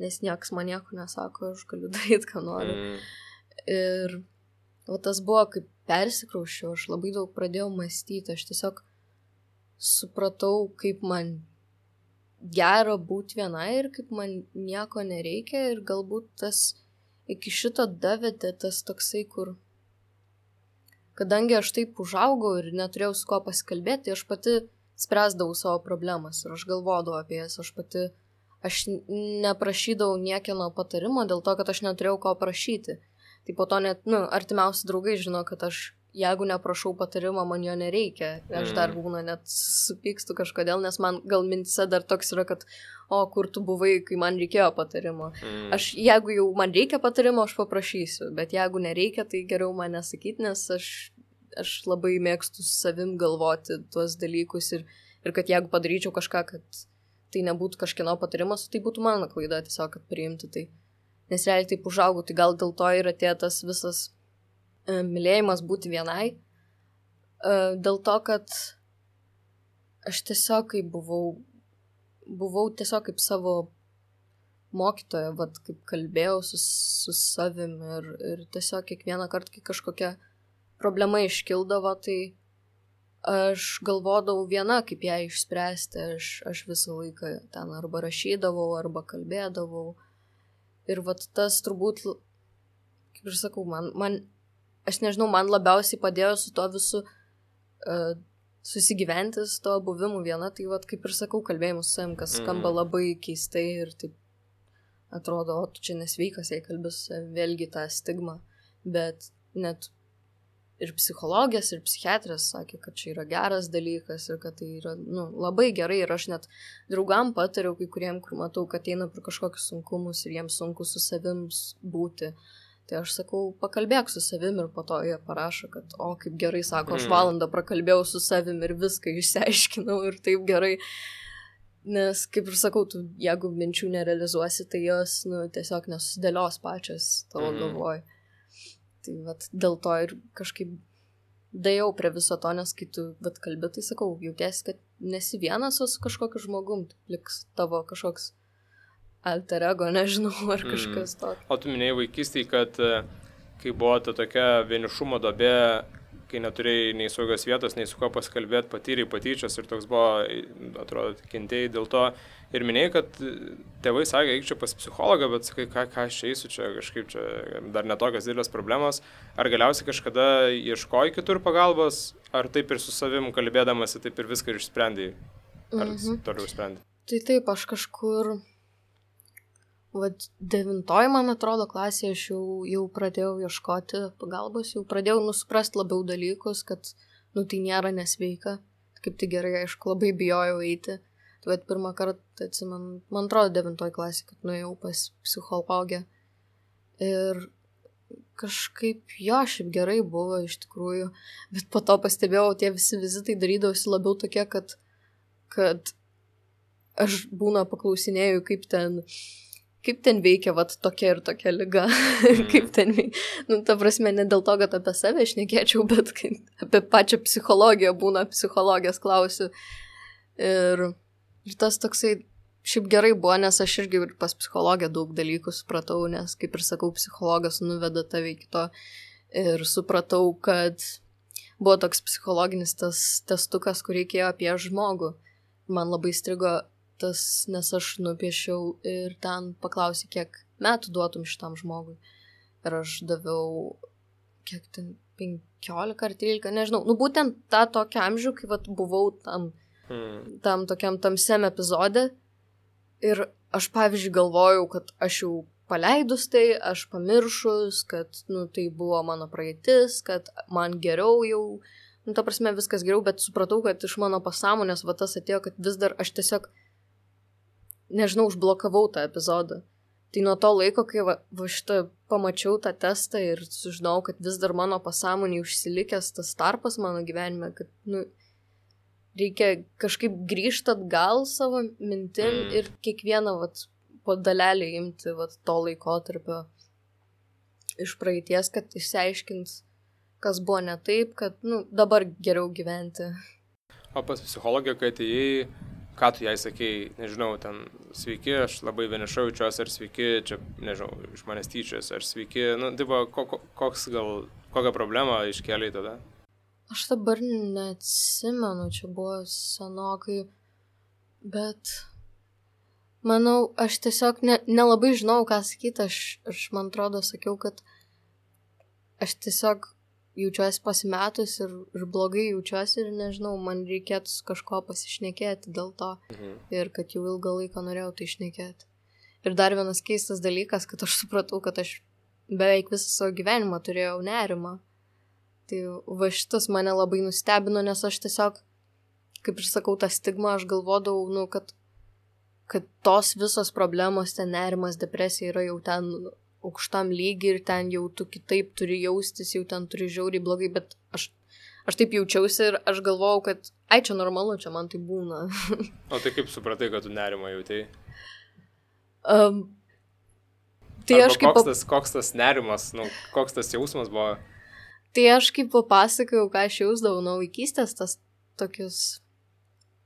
nes niekas man nieko nesako, aš galiu daryti, ką noriu. Mm. Ir va, tas buvo, kaip persikraušiau, aš labai daug pradėjau mąstyti, aš tiesiog supratau, kaip man gera būti viena ir kaip man nieko nereikia ir galbūt tas iki šito davedė tas toksai, kur kadangi aš taip užaugau ir neturėjau su kuo pasikalbėti, tai aš pati spręsdavau savo problemas ir aš galvodavau apie jas, aš pati, aš neprašydavau niekieno patarimo dėl to, kad aš neturėjau ko prašyti. Tai po to net, nu, artimiausi draugai žino, kad aš jeigu neprašau patarimo, man jo nereikia. Aš dar būna net supykstu kažkodėl, nes man gal mintise dar toks yra, kad o, kur tu buvai, kai man reikėjo patarimo. Mm. Aš, jeigu jau man reikia patarimo, aš paprašysiu, bet jeigu nereikia, tai geriau man nesakyti, nes aš, aš labai mėgstu su savim galvoti tuos dalykus ir, ir kad jeigu padaryčiau kažką, kad tai nebūtų kažkieno patarimas, tai būtų mano klaida tiesiog, kad priimti tai. Nes realiai taip užaugau, tai gal dėl to ir atėjo tas visas mylėjimas būti vienai, dėl to, kad aš tiesiog kaip buvau, buvau tiesiog kaip savo mokytoja, vat, kaip kalbėjau su, su savim ir, ir tiesiog kiekvieną kartą, kai kažkokia problema iškildavo, tai aš galvodavau viena, kaip ją išspręsti, aš, aš visą laiką ten arba rašydavau, arba kalbėdavau. Ir vat tas turbūt, kaip ir sakau, man, man aš nežinau, man labiausiai padėjo su to visu uh, susigyventi, su to buvimu viena, tai vat, kaip ir sakau, kalbėjimus su savim, kas skamba labai keistai ir taip atrodo, o tu čia nesveikas, jei kalbės vėlgi tą stigmą, bet net ir psichologės, ir psichiatrės sakė, kad čia yra geras dalykas ir kad tai yra, nu, labai gerai ir aš net draugam patariau kai kuriem, kur matau, kad eina per kažkokius sunkumus ir jiems sunku su savim būti. Tai aš sakau, pakalbėk su savim ir po to jie parašo, kad o, kaip gerai, sako, aš valandą prakalbėjau su savim ir viską išsiaiškinau ir taip gerai. Nes, kaip ir sakau, tu, jeigu minčių nerealizuosi, tai jos, nu, tiesiog nesusidėlios pačias tavo Mhm. galvoj. Tai vat dėl to ir kažkaip dėjau prie viso to, nes kai tu vat kalbi, tai sakau, jautiesi, kad nesi vienas, o su kažkokiu žmogum, tai liks tavo kažkoks alter ego, nežinau, ar kažkas to. O tu minėjai vaikystėje, kad e, kai buvo ta tokia vienišumo duobė, kai neturėjai nei saugios vietos, nei su kuo pasikalbėti, patyrei patyčias ir toks buvo, atrodo, kentėjai dėl to. Ir minėjai, kad tėvai sakė, eik čia pas psichologą, bet sakai, ką, ką aš čia eisiu, čia kažkaip čia dar netokios didelės problemos. Ar galiausiai kažkada ieškojai kitur pagalbos, ar taip ir su savim kalbėdamasi, taip ir viską išsprendėjai? Ar Mhm. toliau sprendai? Tai taip, aš kažkur, vat devintoj, man atrodo, klasėje aš jau, jau pradėjau ieškoti pagalbos, jau pradėjau nusuprast labiau dalykus, kad, nu, tai nėra nesveika. Kaip tai gerai, aišku, labai bijojau eiti. Tai vat pirmą kartą, atsimenu, man atrodo, devintoj klasė, kad nuėjau pas psichologę. Ir kažkaip, jo, šiaip gerai buvo iš tikrųjų, bet po to pastebėjau, tie visi vizitai darydavosi labiau tokie, kad, kad aš būna paklausinėjau, kaip ten, kaip ten veikia, vat, tokia ir tokia liga, Mhm. kaip ten veikia. Nu, ta prasme, ne dėl to, kad apie save šnekėčiau, bet kai apie pačią psichologiją būna, psichologijos klausiu. Ir, ir tas toksai, šiaip gerai buvo, nes aš irgi ir pas psichologę daug dalykų supratau, nes, kaip ir sakau, psichologas nuveda tave iki to. Ir supratau, kad buvo toks psichologinis tas testukas, kur reikėjo apie žmogų. Man labai strigo tas, nes aš nupiešiau ir ten paklausė, kiek metų duotum šitam žmogui. Ir aš daviau, kiek ten, penkiolika ar trylika, nežinau. Nu, būtent tą tokią amžių, kai vat, buvau tam, Hmm. tam tokiam tamsiam epizode. Ir aš, pavyzdžiui, galvojau, kad aš jau paleidus tai, aš pamiršus, kad, nu, tai buvo mano praeitis, kad man geriau jau, nu, ta prasme, viskas geriau, bet supratau, kad iš mano pasąmonės va tas atėjo, kad vis dar aš tiesiog, nežinau, užblokavau tą epizodą. Tai nuo to laiko, kai va, va šitą pamačiau tą testą ir sužinau, kad vis dar mano pasąmonėje užsilikęs tas tarpas mano gyvenime, kad, nu, reikia kažkaip grįžti atgal savo mintim ir kiekvieną, vat, po dalelį imti, vat, to laikotarpio iš praeities, kad išsiaiškint, kas buvo ne taip, kad, nu, dabar geriau gyventi. O pas psichologę, kai atėjai, ką tu jai sakei, nežinau, ten, sveiki, aš labai vieniša jaučiuosi, ar sveiki, čia, nežinau, iš manęs tyčias, ar sveiki, nu, tai buvo, ko, koks gal, kokią problemą iškėlei tada? Aš dabar neatsimenu, čia buvo senokai, bet, manau, aš tiesiog ne, nelabai žinau, ką sakyti, aš, aš, man atrodo, sakiau, kad aš tiesiog jaučiuosi pasimetus ir, ir blogai jaučiuosi ir nežinau, man reikėtų su kažko pasišnekėti dėl to mhm. ir kad jau ilgą laiką norėjau tai šnekėti. Ir dar vienas keistas dalykas, kad aš supratau, kad aš beveik visą savo gyvenimą turėjau nerimą. Tai va šitas mane labai nustebino, nes aš tiesiog, kaip ir sakau, tą stigmą aš galvodavau, nu, kad, kad tos visos problemos, ten nerimas, depresija yra jau ten aukštam lygiai ir ten jau tu kitaip turi jaustis, jau ten turi žiauriai blogai, bet aš, aš taip jaučiausi ir aš galvojau, kad ai, čia normalu, čia man tai būna. O tai kaip supratai, kad tu nerimą jautei? Um, tai Arba aš kaip... Koks tas, koks tas nerimas, nu, koks tas jausmas buvo? Tai aš kaip papasakojau, ką aš jausdavau nuo vaikystės, tas tokius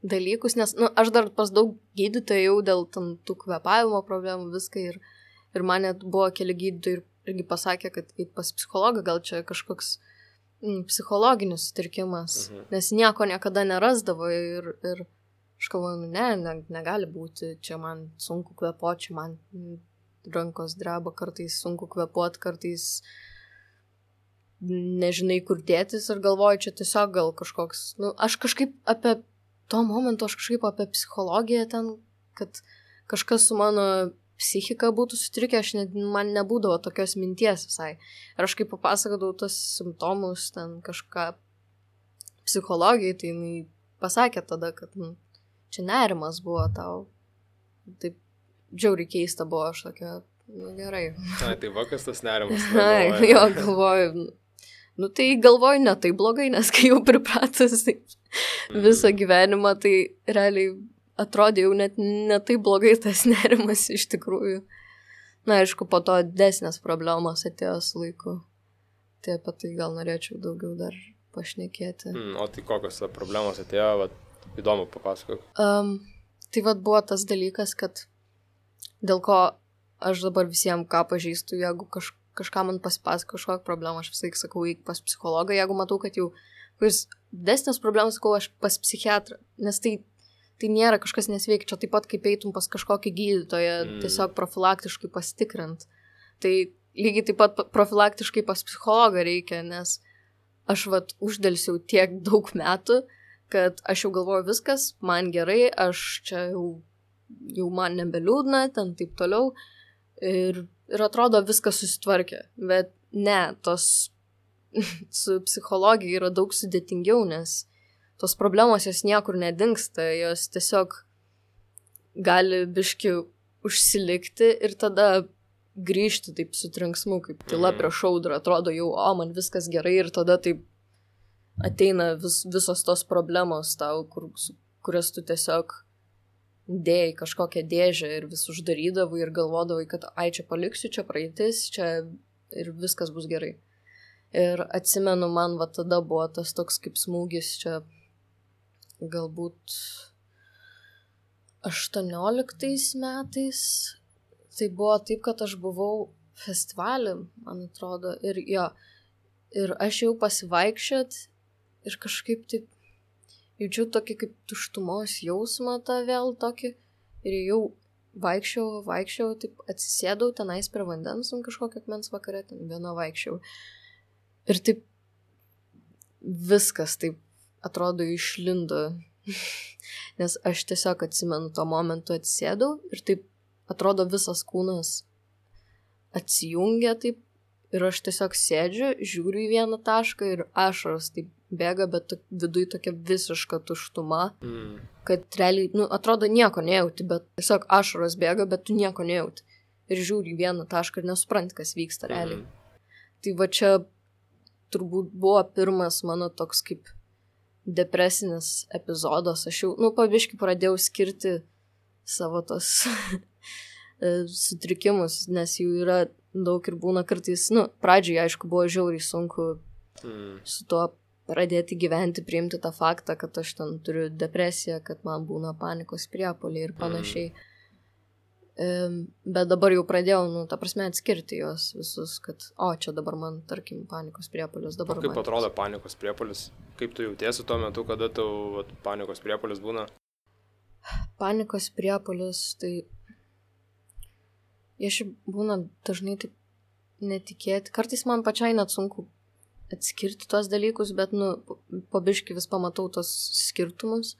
dalykus, nes, nu, aš dar pas daug gydytojų jau dėl tam, tų kvėpavimo problemų viską ir Ir man net buvo keli gydytojai ir irgi pasakė, kad eit pas psichologą gal čia kažkoks mm, psichologinis sutrikimas, mhm. nes nieko niekada nerasdavo ir, ir aš galvoju, ne, ne, negali būti, čia man sunku kvėpuoti, čia man rankos dreba, kartais sunku kvėpuoti, kartais nežinai kur dėtis ir galvoju, čia tiesiog gal kažkoks, nu, aš kažkaip apie to momento, aš kažkaip apie psichologiją ten, kad kažkas su mano psichika būtų sutrikę, aš ne, man nebūdavo tokios minties visai. Ir aš kaip papasakodavau tos simptomus, ten kažką psichologijai, tai jinai pasakė tada, kad nu, čia nerimas buvo tau. Taip džiauriai keista buvo, aš tokia, nu gerai. Na, tai va, kas tas nerimas? Na, jo, galvoju, nu tai galvoju ne tai blogai, nes kai jau pripratus tai visą gyvenimą, tai realiai atrodė jau net ne taip blogai tas nerimas iš tikrųjų. Na, aišku, po to desnės problemos atėjo su laiku. Tai apie tai gal norėčiau daugiau dar pašnekėti. Mm, o tai kokios problemos atėjo, vat, įdomu papasakok. Um, tai vat buvo tas dalykas, kad dėl ko aš dabar visiems ką pažįstu, jeigu kaž, kažką man pasipasako kažkokią problemą, aš visai sakau, eik pas psichologą, jeigu matau, kad jau kuris desnės problemas, sakau, aš pas psichiatrą, nes tai Tai nėra kažkas nesveikia, čia taip pat kaip eitum pas kažkokį gydytoją, mm. tiesiog profilaktiškai pasitikrint. Tai lygiai taip pat profilaktiškai pas psichologą reikia, nes aš vat uždelsiau tiek daug metų, kad aš jau galvoju viskas, man gerai, aš čia jau, jau man nebeliūdna, ten taip toliau. Ir, ir atrodo viskas susitvarkė. Bet ne, tos su psichologija yra daug sudėtingiau, nes tos problemos jos niekur nedingsta, jos tiesiog gali biški užsilikti ir tada grįžti taip su trenksmu, kaip tyla prieš audrą, atrodo jau, o man viskas gerai ir tada taip ateina vis, visos tos problemos tau, kur, kurias tu tiesiog dėjai kažkokią dėžę ir vis uždarydavai ir galvodavai, kad ai čia paliksiu, čia praeitis, čia ir viskas bus gerai. Ir atsimenu, man va tada buvo tas toks kaip smūgis čia galbūt aštuonioliktais metais. Tai buvo taip, kad aš buvau festivalį, man atrodo, ir jo, ir aš jau pasivaikščiot ir kažkaip taip jaučiu tokį kaip tuštumos jausmą tą vėl tokį ir jau vaikščiau, vaikščiau, taip atsisėdau tenais prie vandens ant kažkokio akmens vakare, ten viena vaikščiau. Ir taip viskas taip atrodo išlindo, nes aš tiesiog atsimenu tuo momentu atsisėdau ir taip atrodo visas kūnas atsijungia taip ir aš tiesiog sėdžiu, žiūriu į vieną tašką ir ašaros taip bėga, bet to, viduj tokia visiška tuštuma, Mm. kad realiai, nu, atrodo nieko nejauti, bet tiesiog ašaros bėga, bet tu nieko nejauti. Ir žiūri į vieną tašką ir nesupranti, kas vyksta realiai. Mm. Tai va čia turbūt buvo pirmas mano toks kaip depresinis epizodas. Aš jau, nu, pabiškai pradėjau skirti savo tos sutrikimus, nes jų yra daug ir būna kartais, nu, pradžioje, aišku, buvo žiauriai sunku Mm. su tuo pradėti gyventi, priimti tą faktą, kad aš ten turiu depresiją, kad man būna panikos priepuoliai ir panašiai. Mm. Bet dabar jau pradėjau, nu, ta prasme, atskirti juos visus, kad, o, čia dabar man, tarkim, panikos priepuolis. Dabar O kaip man... atrodo panikos priepuolis? Kaip tu jautiesi tuo metu, kada tau vat, panikos priepuolis būna? Panikos priepuolis, tai jie šiaip būna dažnai taip netikėti. Kartais man pačiai net sunku atskirti tuos dalykus, bet, nu, po biškį vis pamatau tos skirtumus.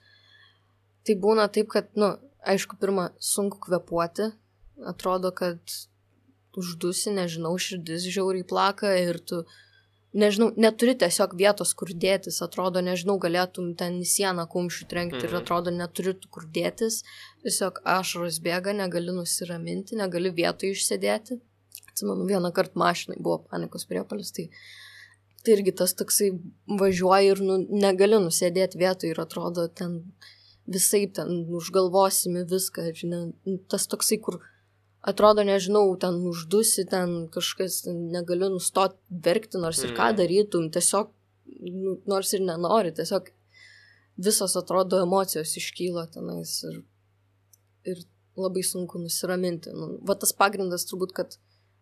Tai būna taip, kad, nu, aišku, pirmą sunku kvėpuoti. Atrodo, kad uždusi, nežinau, širdis žiauriai plaka ir tu, nežinau, neturi tiesiog vietos, kur dėtis. Atrodo, nežinau, galėtum ten į sieną kumščių trenkti ir Mhm. atrodo, neturi tu kur dėtis. Tiesiog ašaros bėga, negali nusiraminti, negali vietoj išsėdėti. Atsimenu, vieną kartą mašinai buvo panikos priepuolis, tai, tai irgi tas toksai važiuoja ir nu, negali nusėdėti vietoj ir atrodo ten visaip ten užgalvosimi viską, žinai, tas toksai, kur atrodo, nežinau, ten uždusi, ten kažkas, ten negali nustoti verkti, nors ir ką Mhm. darytum, tiesiog, nu, nors ir nenori, tiesiog visos atrodo emocijos iškyla tenais ir, ir labai sunku nusiraminti. Nu, va tas pagrindas turbūt, kad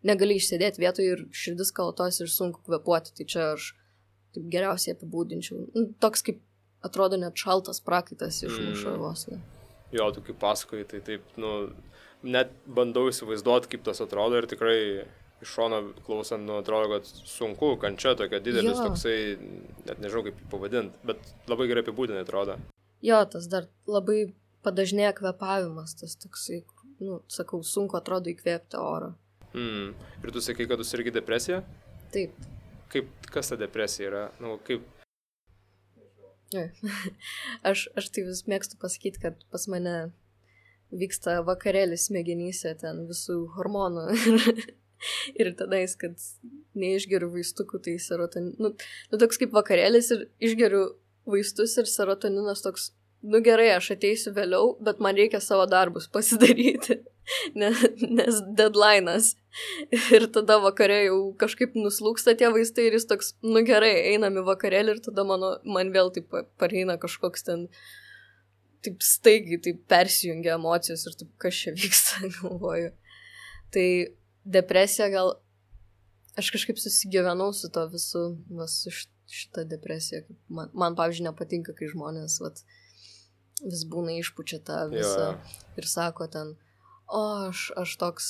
negali išsėdėti vietoje ir širdis kalatos ir sunku kvėpuoti, tai čia aš taip geriausiai apibūdinčiau. Nu, toks kaip atrodo net šaltas prakaitas išmuša Mm. vos. Ne. Jo, tu kaip pasakoji, tai taip, nu, net bandau įsivaizduoti, kaip tas atrodo ir tikrai iš šono klausant, nu, atrodo, kad sunku, kančia tokia didelis, Jo. toksai, net nežinau kaip jį pavadinti, bet labai gerai apibūdinai atrodo. Jo, tas dar labai padažnėja kvėpavimas, tas toksai, kur, nu, sakau, sunku atrodo įkvėpti oro. Mm. Ir tu sakai, kad tu sirgi depresiją? Taip. Kaip, kas ta depresija yra? Nu, kaip... Jo. aš, aš tai vis mėgstu pasakyti, kad pas mane vyksta vakarėlis smegenyse, ten visų hormonų. Ir tenais, kad neišgeriu vaistukų, tai serotonin... Nu, nu, toks kaip vakarėlis ir išgeriu vaistus ir serotoninas toks, nu gerai, aš ateisiu vėliau, bet man reikia savo darbus pasidaryti, nes, nes deadline'as. Ir tada vakarė jau kažkaip nuslūksta tie vaistai ir jis toks, nu gerai, einam į vakarėlį ir tada mano, man vėl taip pareina kažkoks ten, taip staigiai, taip persijungia emocijos ir taip, kas čia vyksta, galvoju. Tai depresija gal, aš kažkaip susigyvenau su to visu, va, su šitą depresiją. Man, man pavyzdžiui, nepatinka, kai žmonės vat, vis būna išpučia tą visą Jo. ir sako ten, o aš, aš toks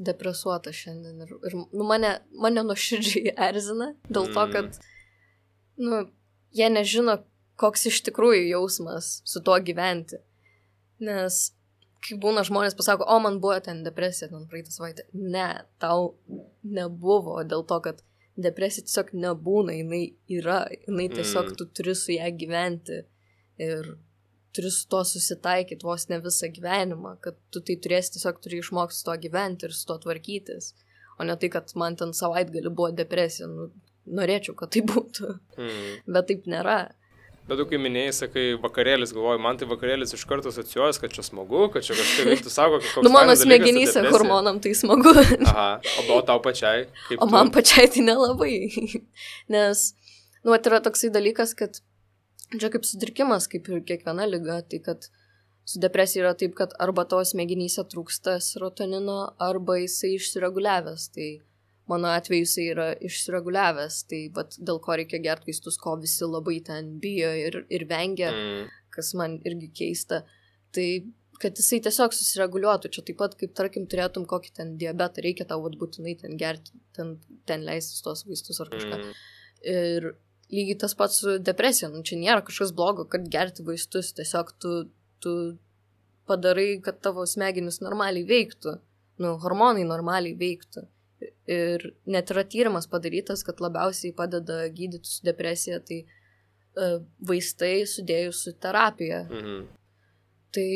depresuotas šiandien. Ir, ir nu, mane, mane nuoširdžiai erzina dėl to, kad nu, jie nežino, koks iš tikrųjų jausmas su tuo gyventi. Nes kai būna žmonės pasako, o man buvo ten depresija, ten praeitą savaitę. Ne, tau nebuvo dėl to, kad depresija tiesiog nebūna, jinai yra, jinai tiesiog Mm. tu turi su ją gyventi ir turi su to susitaikyti vos ne visą gyvenimą, kad tu tai turėsi tiesiog turi išmokti su to gyventi ir su to tvarkytis, o ne tai, kad man ten savaitgalį buvo depresija, nu, norėčiau, kad tai būtų, Mm. bet taip nėra. Bet tu kai minėjai, sakai, vakarėlis, galvoju, man tai vakarėlis iš karto asocijuojas, kad čia smagu, kad čia kažkaip veiktų, sako, kad koks Nu, mano fainas dalykas ta smegenyse depresija. hormonam tai smagu, Aha, o, o tau pačiai? Kaip o tu? man pačiai tai nelabai, nes, nu, tai yra toksai dalykas, kad čia kaip sutrikimas, kaip ir kiekviena liga, tai kad su depresija yra taip, kad arba tavo smegenyse trūksta serotonino, arba jisai išsireguliavęs, tai mano atveju jisai yra išsireguliavęs, tai vat, dėl ko reikia gerti vaistus, ko visi labai ten bijo ir, ir vengia, Mm. kas man irgi keista, tai kad jisai tiesiog susireguliuotų, čia taip pat kaip, tarkim, turėtum kokį ten diabetą, reikia tau vat, būtinai ten gerti, ten, ten leistis tos vaistus ar kažką. Mm. Ir lygiai tas pats su depresija, nu čia nėra kažkas blogo, kad gerti vaistus, tiesiog tu, tu padarai, kad tavo smegenys normaliai veiktų, nu, hormonai normaliai veiktų. Ir net yra tyrimas padarytas, kad labiausiai padeda gydyti su depresija, tai uh, vaistai sudėjus su terapija. Mhm. Tai,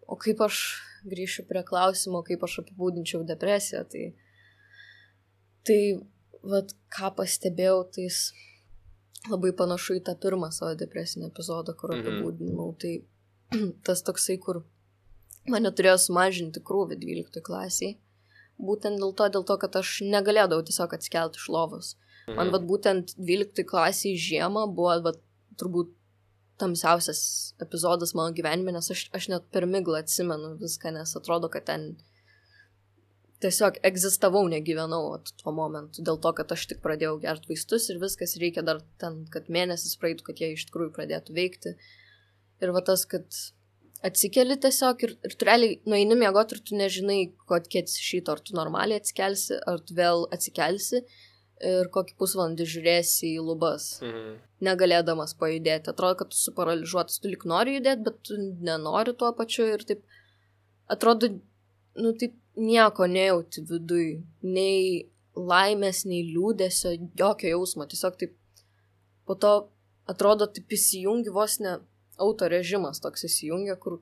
o kaip aš grįšiu prie klausimo, kaip aš apibūdinčiau depresiją, tai, tai vat, ką pastebėjau, tai labai panašu į tą pirmą savo depresinį epizodą, kur apibūdinau. Mhm. Tai tas toksai, kur mane turėjo sumažinti krūvį dvyliktoj klasiai. Būtent dėl to, dėl to, kad aš negalėdavau tiesiog atsikelti iš lovos. Mhm. Man vat būtent dvyliktoj klasiai žiemą buvo vat, turbūt tamsiausias epizodas mano gyvenime, nes aš, aš net per miglą atsimenu viską, nes atrodo, kad ten tiesiog egzistavau, negyvenau vat, tuo momentu. Dėl to, kad aš tik pradėjau gerti vaistus ir viskas, reikia dar ten, kad mėnesis praeitų, kad jie iš tikrųjų pradėtų veikti. Ir va tas, kad atsikeli tiesiog ir, ir tu realiai nueini miegoti ir tu nežinai, kokie atsišyto, ar tu normaliai atsikelsi, ar tu vėl atsikelsi ir kokį pusvalandį žiūrėsi į lubas, mhm. negalėdamas pajudėti. Atrodo, kad tu suparaližuotas, tu lik nori judėti, bet tu nenori tuo pačiu ir taip, atrodo, nu taip nieko nejauti viduj, nei laimės, nei liūdesio, jokio jausmo, tiesiog taip, po to atrodo, taip įsijungi vos ne autorežimas toks įsijungia, kur,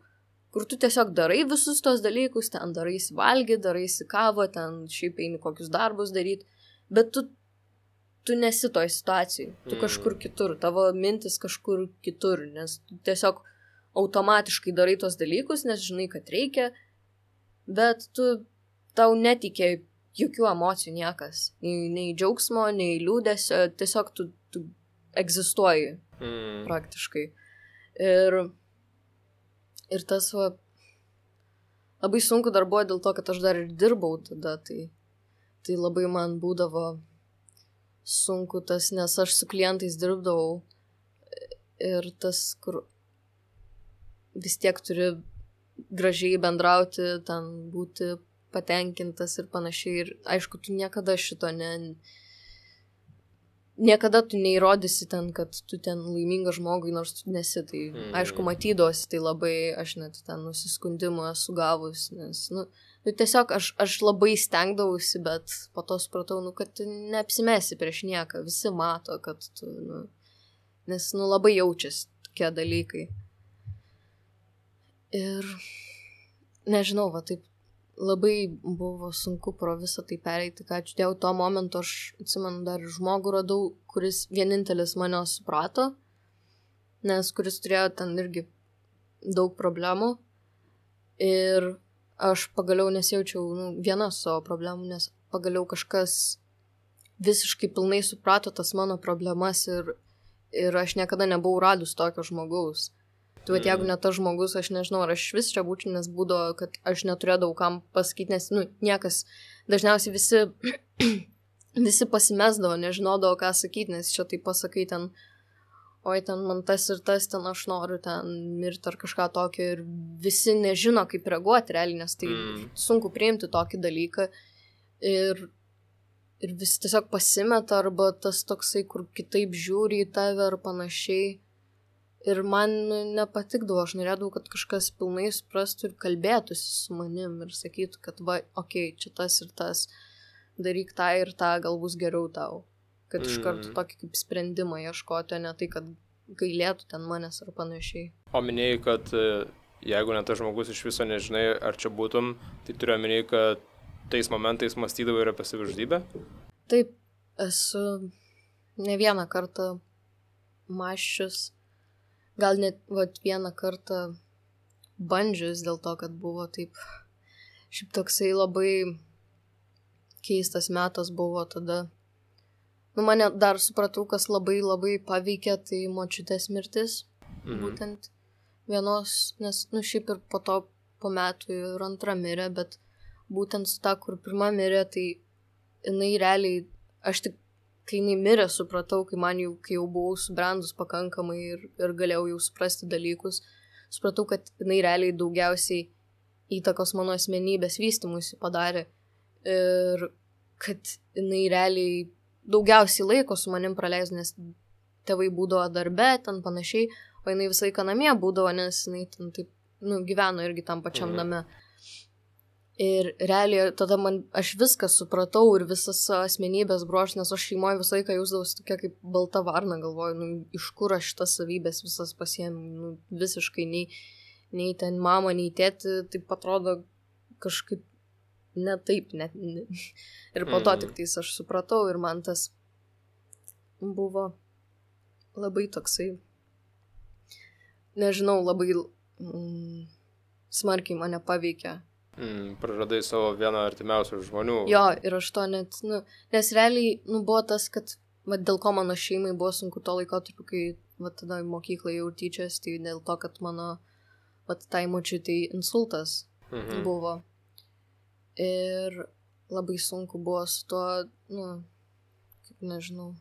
kur tu tiesiog darai visus tos dalykus, ten daraisi valgyti, daraisi kavą, ten šiaip eini kokius darbus daryti, bet tu, tu nesi toj situacijai, tu kažkur kitur, tavo mintis kažkur kitur, nes tu tiesiog automatiškai darai tos dalykus, nes žinai, kad reikia, bet tu, tau netikė jokių emocijų niekas, nei, nei džiaugsmo, nei liūdesio, tiesiog tu, tu egzistuoji mm. praktiškai. Ir, ir tas va, labai sunku dar buvo dėl to, kad aš dar ir dirbau tada, tai, tai labai man būdavo sunku tas, nes aš su klientais dirbdavau ir tas, kur vis tiek turi gražiai bendrauti, ten būti patenkintas ir panašiai. Ir aišku, tu niekada šito ne... Niekada tu neįrodysi ten, kad tu ten laimingas žmogui, nors tu nesi. Tai mm. aišku, matydosi, tai labai aš net ten nusiskundimų esu gavus, nes, nu, nu tiesiog aš, aš labai stengdavausi, bet po to supratau, nu, kad tu neapsimesi prieš nieką, visi mato, kad tu, nu, nes, nu, labai jaučiasi tokie dalykai. Ir, nežinau, va, taip, labai buvo sunku pro visą tai pereiti, ką ačiū Dievui, tuo momentu aš atsimenu dar žmogų radau, kuris vienintelis mane suprato, nes kuris turėjo ten irgi daug problemų ir aš pagaliau nesijaučiau nu, viena su savo problemų, nes pagaliau kažkas visiškai pilnai suprato tas mano problemas ir, ir aš niekada nebuvau radus tokio žmogaus. Tai vat, jeigu ne tas žmogus, aš nežinau, ar aš vis čia būčiau, nes būdavo, kad aš neturėdavau kam pasakyti, nes, nu, niekas, dažniausiai visi, visi pasimesdavo, nežinodavo, ką sakyti, nes čia tai pasakai ten, oi, ten man tas ir tas, ten aš noriu ten mirti ar kažką tokio ir visi nežino, kaip reaguoti realiai, nes tai mm. sunku priimti tokį dalyką ir, ir visi tiesiog pasimeta arba tas toksai, kur kitaip žiūri į tave ar panašiai. Ir man nepatikdavo, aš norėdavau, kad kažkas pilnai suprastų ir kalbėtųsi su manim ir sakytų, kad va, okei, okay, čia tas ir tas, daryk tą ir tą, gal bus geriau tau. Kad mm. iš karto tokį kaip sprendimą ieškoti, o ne tai, kad gailėtų ten manęs ar panašiai. O minėjai, kad jeigu ne tas žmogus iš viso nežinai, ar čia būtum, tai turiu minėjai, kad tais momentais mąstydavai ir apie savižudybę? Taip, esu ne vieną kartą mąsčius. Gal net vat, vieną kartą bandžius dėl to, kad buvo taip, šiaip toksai labai keistas metas buvo tada. Nu, mane dar supratau, kas labai labai paveikė, tai močiutės mirtis, mhm. būtent vienos, nes, nu, šiaip ir po to po metų ir antra mirė, bet būtent su ta, kur pirma mirė, tai jinai realiai, aš tik kai jinai mirė, supratau, kai man jau, kai jau buvau subrendus pakankamai ir, ir galėjau jau suprasti dalykus, supratau, kad jinai realiai daugiausiai įtakos mano asmenybės vystymuisi padarė ir kad jinai realiai daugiausiai laiko su manim praleis, nes tėvai būdavo darbe, ten panašiai, o jinai visą laiką namie būdavo, nes jinai ten taip, nu, gyveno irgi tam pačiam mhm. name. Ir realiai tada man, aš viską supratau ir visas asmenybės bruožas, nes aš šeimoje visą laiką jausdavausi tokia kaip balta varna, galvoju, nu, iš kur aš šitas savybės visas pasiėmiau, nu, visiškai nei, nei ten mama, nei tėti, taip atrodo kažkaip ne taip, net. Ir po to tik tais aš supratau ir man tas buvo labai toksai, nežinau, labai mm, smarkiai mane paveikė. Mm, praradai savo vieną artimiausių žmonių. Jo, ir aš to net, nu, nes realiai, nu, buvo tas, kad, va, dėl ko mano šeimai buvo sunku to laikotarpiu, kai, va, tada mokyklai jau tyčias, tai dėl to, kad mano, va, tai močiutei insultas mhm. buvo. Ir labai sunku buvo su tuo, nu, kaip nežinau,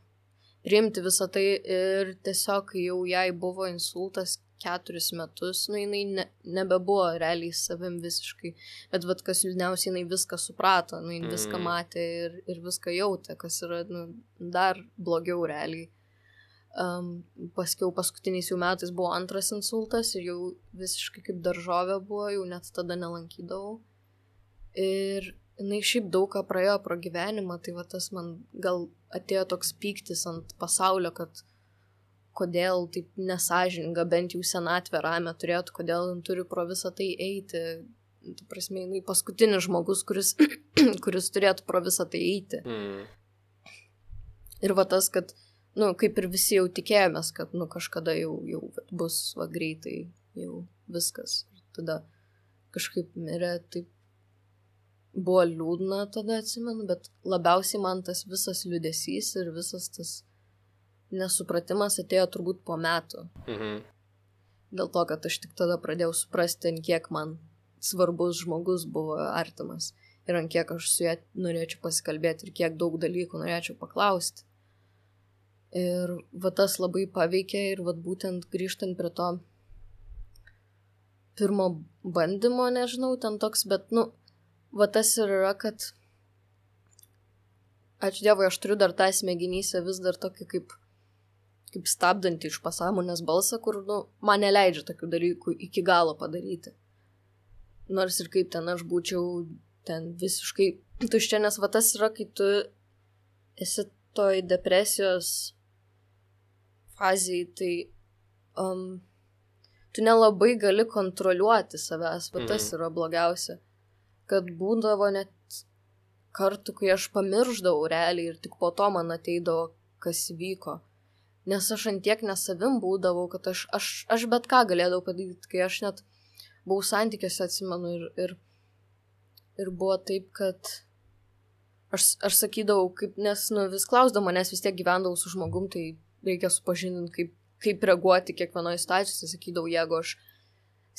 priimti visą tai ir tiesiog, kai jau jai buvo insultas keturis metus, nu, jinai ne, nebebuvo realiai savim visiškai, bet vat, kas liūdniausiai, jinai viską suprato, nu, jinai viską matė ir, ir viską jautė, kas yra, nu, dar blogiau realiai. Um, paskiau paskutiniais jau metais buvo antras insultas ir jau visiškai kaip daržovė buvo, jau net tada nelankydavau. Ir jinai šiaip daug ką praėjo pro gyvenimą, tai va tas man gal atėjo toks pyktis ant pasaulio, kad kodėl taip nesažininga, bent jau senatvę ramę turėtų, kodėl turi pro visą tai eiti. Tu prasme, jinai paskutinis žmogus, kuris, kuris turėtų pro visą tai eiti. Mm. Ir va tas, kad, nu, kaip ir visi jau tikėjomės, kad, nu, kažkada jau, jau bus, va, greitai, jau viskas. Ir tada kažkaip mirė, taip buvo liūdna tada, atsimenu, bet labiausiai man tas visas liūdesys ir visas tas nesupratimas atėjo turbūt po metų. Mhm. Dėl to, kad aš tik tada pradėjau suprasti, ant kiek man svarbus žmogus buvo artimas. Ir ant kiek aš su juo norėčiau pasikalbėti ir kiek daug dalykų norėčiau paklausti. Ir va tas labai paveikė ir va būtent grįžtant prie to pirmo bandymo, nežinau, ten toks, bet, nu, va tas ir yra, kad ačiū Dievui, aš turiu dar tą smegenyse vis dar tokį kaip kaip stabdantį iš pasąmonės balsą, kur, nu, man neleidžia tokių dalykų iki galo padaryti. Nors ir kaip ten aš būčiau ten visiškai tuščia, nes va tas yra, kai tu esi toj depresijos fazėj, tai um, tu nelabai gali kontroliuoti savęs, va tas yra blogiausia. Kad būdavo net kartų, kai aš pamirždavau realiai ir tik po to man ateidavo, kas vyko. Nes aš antiek nesavim būdavau, kad aš, aš, aš bet ką galėdavau padaryti, kai aš net buvau santykiuose, atsimenu, ir, ir, ir buvo taip, kad aš, aš sakydavau, kaip, nes, nu, vis klausdama, nes vis tiek gyvendavau su žmogum, tai reikia supažindinti, kaip, kaip reaguoti kiekvienoje situacijoje, sakydavau, jeigu aš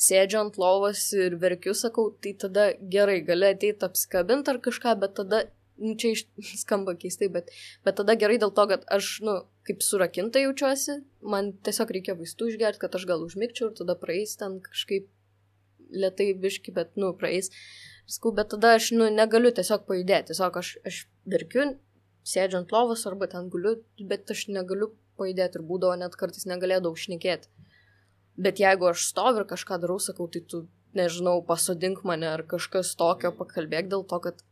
sėdžiu ant lovos ir verkiu, sakau, tai tada gerai, gali ateiti apsikabinti ar kažką, bet tada, nu, čia iš, skamba keistai, bet, bet tada gerai dėl to, kad aš, nu, kaip surakinta jaučiuosi, man tiesiog reikia vaistų išgerti, kad aš gal užmigčiau ir tada praeis ten kažkaip lėtai biški, bet, nu, praeis. Skau, bet tada aš, nu, negaliu tiesiog pajudėti, tiesiog aš, aš verkiu, sėdžiu ant lovos arba ten guliu, bet aš negaliu pajudėti ir būdavo net kartais negalėdavau šnekėti. Bet jeigu aš stoviu ir kažką darau, sakau, tai tu, nežinau, pasodink mane ar kažkas tokio, pakalbėk dėl to, kad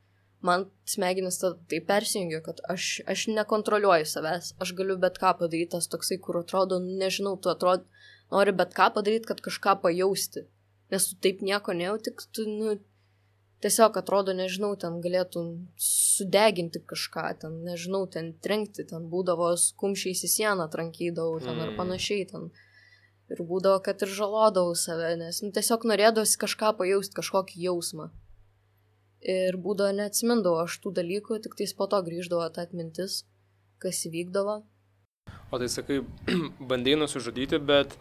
man smegenis tai persijungia, kad aš, aš nekontroliuoju savęs, aš galiu bet ką padaryti, tas toksai, kur atrodo, nežinau, tu atrodo, nori bet ką padaryti, kad kažką pajausti, nes tu taip nieko nejauti, tu, nu, tiesiog atrodo, nežinau, ten galėtum sudeginti kažką, ten, nežinau, ten trenkti, ten būdavo kumščiais į sieną trankydavau, ten ar panašiai, ten, ir būdavo, kad ir žalodavau save, nes, nu, tiesiog norėdavosi kažką pajausti, kažkokį jausmą. Ir būdavo neatsimindavo aš tų dalykų, tik tais po to grįždavo ta atmintis, kas įvykdavo. O tai sakai, bandėjai nusižudyti, bet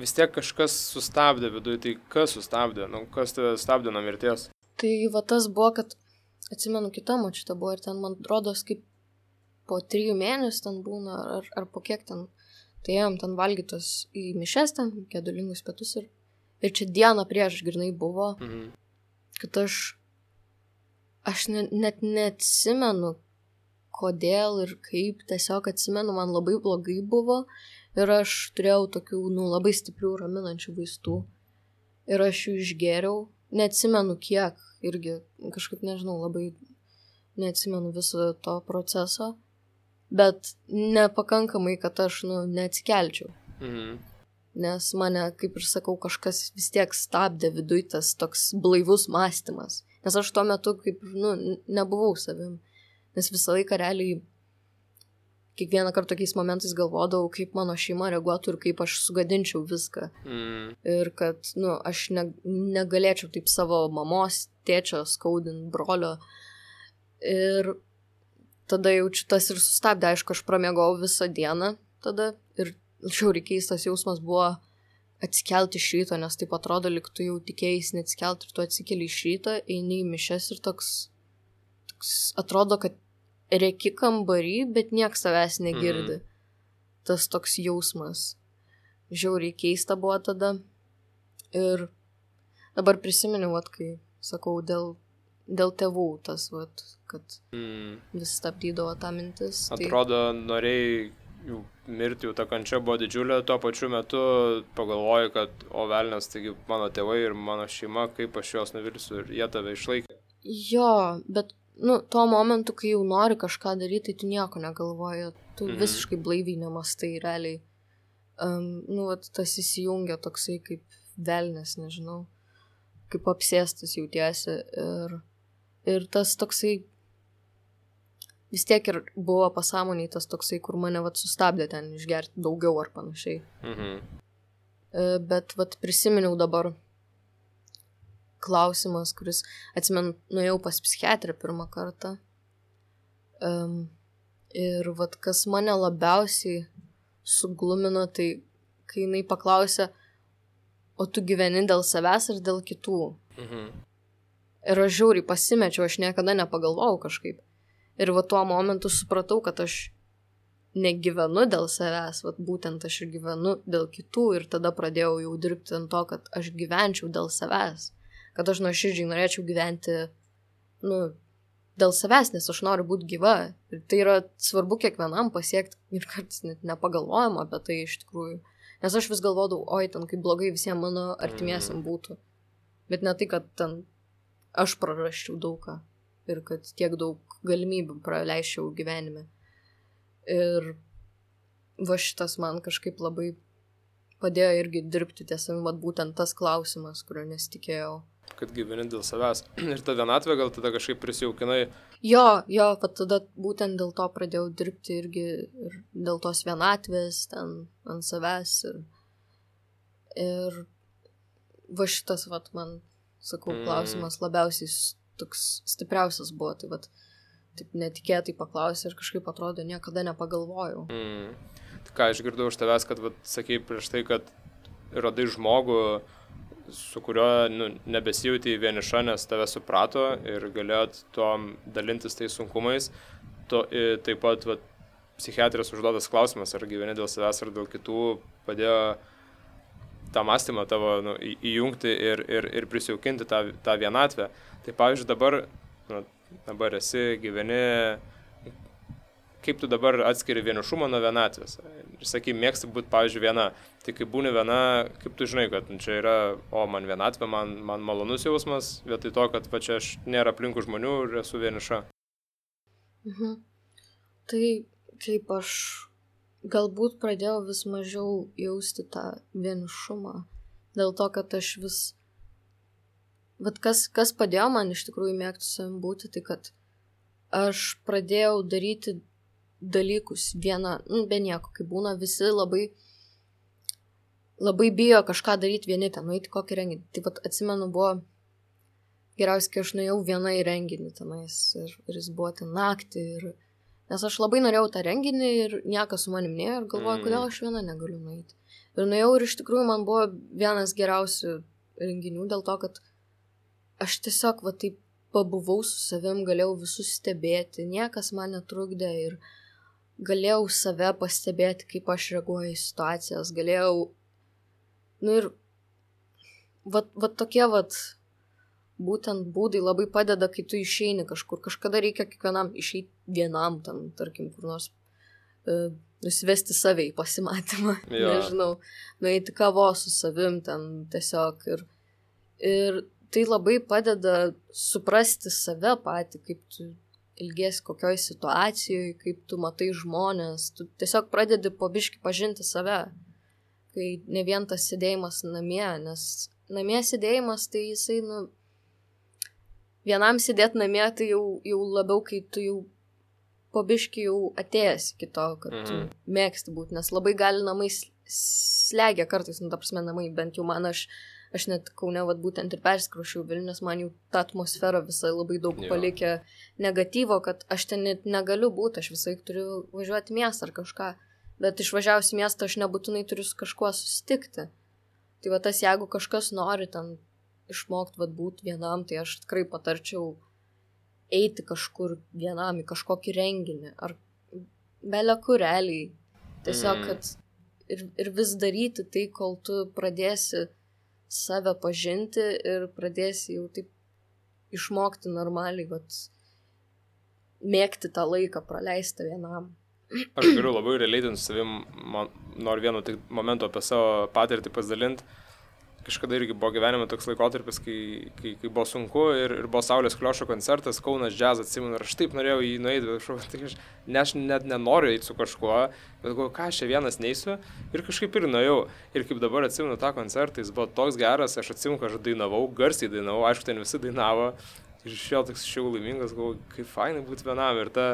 vis tiek kažkas sustabdė viduje, tai kas sustabdė, nu, kas tave stabdė nuo mirties? Tai va tas buvo, kad atsimenu kita močiutė buvo ir ten man rodos kaip po trijų mėnesių ten būna, ar, ar po kiek ten, tai ėjom ten valgytos į mišes ten, gedulingus pietus ir, ir čia dieną prieš grynai buvo, mhm. kad aš Aš ne, net neatsimenu, kodėl ir kaip, tiesiog atsimenu, man labai blogai buvo ir aš turėjau tokių, nu, labai stiprių raminančių vaistų ir aš jų išgėriau, neatsimenu kiek irgi kažkaip, nežinau, labai neatsimenu viso to proceso, bet nepakankamai, kad aš, nu, neatsikelčiau. Mhm. Nes mane, kaip ir sakau, kažkas vis tiek stabdė viduj tas toks blaivus mąstymas. Nes aš tuo metu kaip, nu, nebuvau savim. Nes visą laiką realiai kiekvieną kartą tokiais momentais galvodavau, kaip mano šeima reaguotų ir kaip aš sugadinčiau viską. Mm. Ir kad, nu, aš ne, negalėčiau taip savo mamos, tėčio skaudinti, brolio. Ir tada jaučiu tas ir sustabdė. Aišku, aš pramiegau visą dieną tada ir žiauriai keistas jausmas buvo atsikelti iš ryto, nes taip atrodo, lyg tu jau tikėjais neatsikelti ir tu atsikeli iš ryto, eini į mišias ir toks, toks atrodo, kad rėki kambarį, bet nieks savęs negirdi. Mm. Tas toks jausmas. Žiauriai keista buvo tada. Ir dabar prisiminiau, vat, kai sakau, dėl, dėl tėvų tas, vat, kad mm. vis stabdydavo tą mintis. Atrodo, tai... norėjai jų mirti, jų ta kančia buvo didžiulė, tuo pačiu metu pagalvoji, kad o velnias, taigi mano tėvai ir mano šeima, kaip aš juos nuvilsiu ir jie tave išlaikė. Jo, bet nu, tuo momentu, kai jau nori kažką daryti, tai tu nieko negalvoji, tu mm-hmm. visiškai blaiviai nemastai realiai. Um, nu, vat, tas įsijungia toksai kaip velnias, nežinau, kaip apsėstas jautiesi ir, ir tas toksai vis tiek ir buvo pasąmoniai tas toksai, kur mane vat sustabdė ten išgerti daugiau ar panašiai. Mm-hmm. Uh, bet vat prisiminiau dabar klausimas, kuris, atsimenu, nuėjau pas psichiatrę pirmą kartą. Um, ir vat, kas mane labiausiai suglumino, tai kai jinai paklausė, o tu gyveni dėl savęs ar dėl kitų? Mhm. Ir aš žiauriai pasimečiau, aš niekada nepagalvojau kažkaip. Ir va tuo momentu supratau, kad aš negyvenu dėl savęs, vat būtent aš ir gyvenu dėl kitų ir tada pradėjau jau dirbti ant to, kad aš gyvenčiau dėl savęs. Kad aš nuoširdžiai norėčiau gyventi, nu, dėl savęs, nes aš noriu būti gyva. Ir tai yra svarbu kiekvienam pasiekti ir kartais net nepagalvojam apie tai iš tikrųjų. Nes aš vis galvodavau, oi, ten kaip blogai visiems mano artimiesiam būtų. Bet ne tai, kad ten aš prarasčiau daugą ir kad tiek daug galimybių praleisčiau gyvenime. Ir va šitas man kažkaip labai padėjo irgi dirbti tiesami, vat būtent tas klausimas, kurio nesitikėjau. Kad gyveni dėl savęs. Ir ta vienatvė gal tada kažkaip prisijaukinai. Jo, jo, pat tada būtent dėl to pradėjau dirbti irgi ir dėl tos vienatvės ten ant savęs. Ir, ir va šitas, vat, man, sakau, klausimas labiausiai toks stipriausias buvo. Tai vat, taip netikėtai paklausė ir kažkaip atrodo, niekada nepagalvojau. Mm. Tai ką, aš girdau iš tavęs, kad, vat, sakei prieš tai, kad radai žmogų, su kuriuo nu, nebesijauti vieniša, nes tave suprato ir galėjot tom dalintis tais sunkumais. To, taip pat vat, psichiatrijos užduotas klausimas, ar gyveni dėl savęs ar dėl kitų, padėjo tą mąstymą tavo nu, įjungti ir, ir, ir prisijaukinti tą, tą vienatvę. Tai pavyzdžiui, dabar, nu, dabar esi, gyveni, kaip tu dabar atskiri vienišumą nuo vienatvės? Ir sakai, mėgsti būti, pavyzdžiui, viena. Tai kai būni viena, kaip tu žinai, kad čia yra, o man vienatvė, man, man malonus jausmas, vietoj to, kad va čia aš nėra aplinkų žmonių ir esu vieniša. Mhm. Tai kaip aš galbūt pradėjau vis mažiau jausti tą vienišumą. Dėl to, kad aš vis... Bet kas, kas padėjo man iš tikrųjų mėgti savim būti, tai kad aš pradėjau daryti dalykus vieną, nu, be nieko, kai būna visi labai, labai bijo kažką daryti vieni, ten nueiti kokį renginį. Taip pat atsimenu, buvo geriausiai, kai aš nuėjau viena į renginį tenais ir, ir jis buvo ten naktį. Ir, nes aš labai norėjau tą renginį ir niekas su manim nėjo ir galvoju, mm. kodėl aš viena negaliu nueiti. Ir nuėjau ir iš tikrųjų man buvo vienas geriausių renginių dėl to, kad aš tiesiog va taip pabuvau su savim, galėjau visus stebėti, niekas man netrukdė ir galėjau save pastebėti, kaip aš reaguoju į situacijas, galėjau, nu ir vat, vat tokie vat būtent būdai labai padeda, kai tu išeini kažkur, kažkada reikia kiekvienam išeiti vienam, ten, tarkim, kur nors uh, nusivesti save į pasimatymą, ja. Nežinau, nueiti kavos su savim ten tiesiog ir, ir tai labai padeda suprasti save patį, kaip tu ilgiesi kokioj situacijoje, kaip tu matai žmonės, tu tiesiog pradedi po biškį pažinti save, kai ne vien tas sėdėjimas namie, nes namie sėdėjimas, tai jisai, nu, vienam sėdėti namie, tai jau, jau labiau, kai tu jau po biškį jau atėjęs iki to, kad tu Mhm. mėgsti būti, nes labai gali namai s- slegia kartais, nu, ta prasme, namai, bent jau man, aš, aš net Kaune, vat, būtent ir persikrausčiau Vilnių, nes man jau ta atmosfera visai labai daug Jo. palikė negatyvo, kad aš ten net negaliu būti, aš visai turiu važiuoti į miestą ar kažką, bet išvažiavus į miestą aš nebūtinai turiu su kažkuo susitikti. Tai va tas, jeigu kažkas nori ten išmokti vat būti vienam, tai aš tikrai patarčiau eiti kažkur vienam į kažkokį renginį, ar belė kur realiai. Tiesiog, Mhm. kad ir, ir vis daryti tai, kol tu pradėsi save pažinti ir pradėsi jau taip išmokti normaliai, vat, mėgti tą laiką, praleisti vienam. Aš galiu labai realiai su savim, man noriu vienu tik momentu apie savo patirtį pasidalinti. Kažkada irgi buvo gyvenime toks laikotarpis, kai, kai, kai buvo sunku ir, ir buvo Saulės Kliošo koncertas, Kaunas Jazz, atsimenu, ir aš taip norėjau jį nueiti, bet aš, tai aš, ne, aš net nenoriu eiti su kažkuo, bet galvoju, ką aš čia vienas neisiu, ir kažkaip ir nuėjau. Ir kaip dabar atsimenu tą koncertą, jis buvo toks geras, aš atsimenu, kad aš dainavau, garsiai dainavau, aišku, ten visi dainavo, ir iš jo toks šiau laimingas, galvoju, kaip fainai būti vienam, ir ta,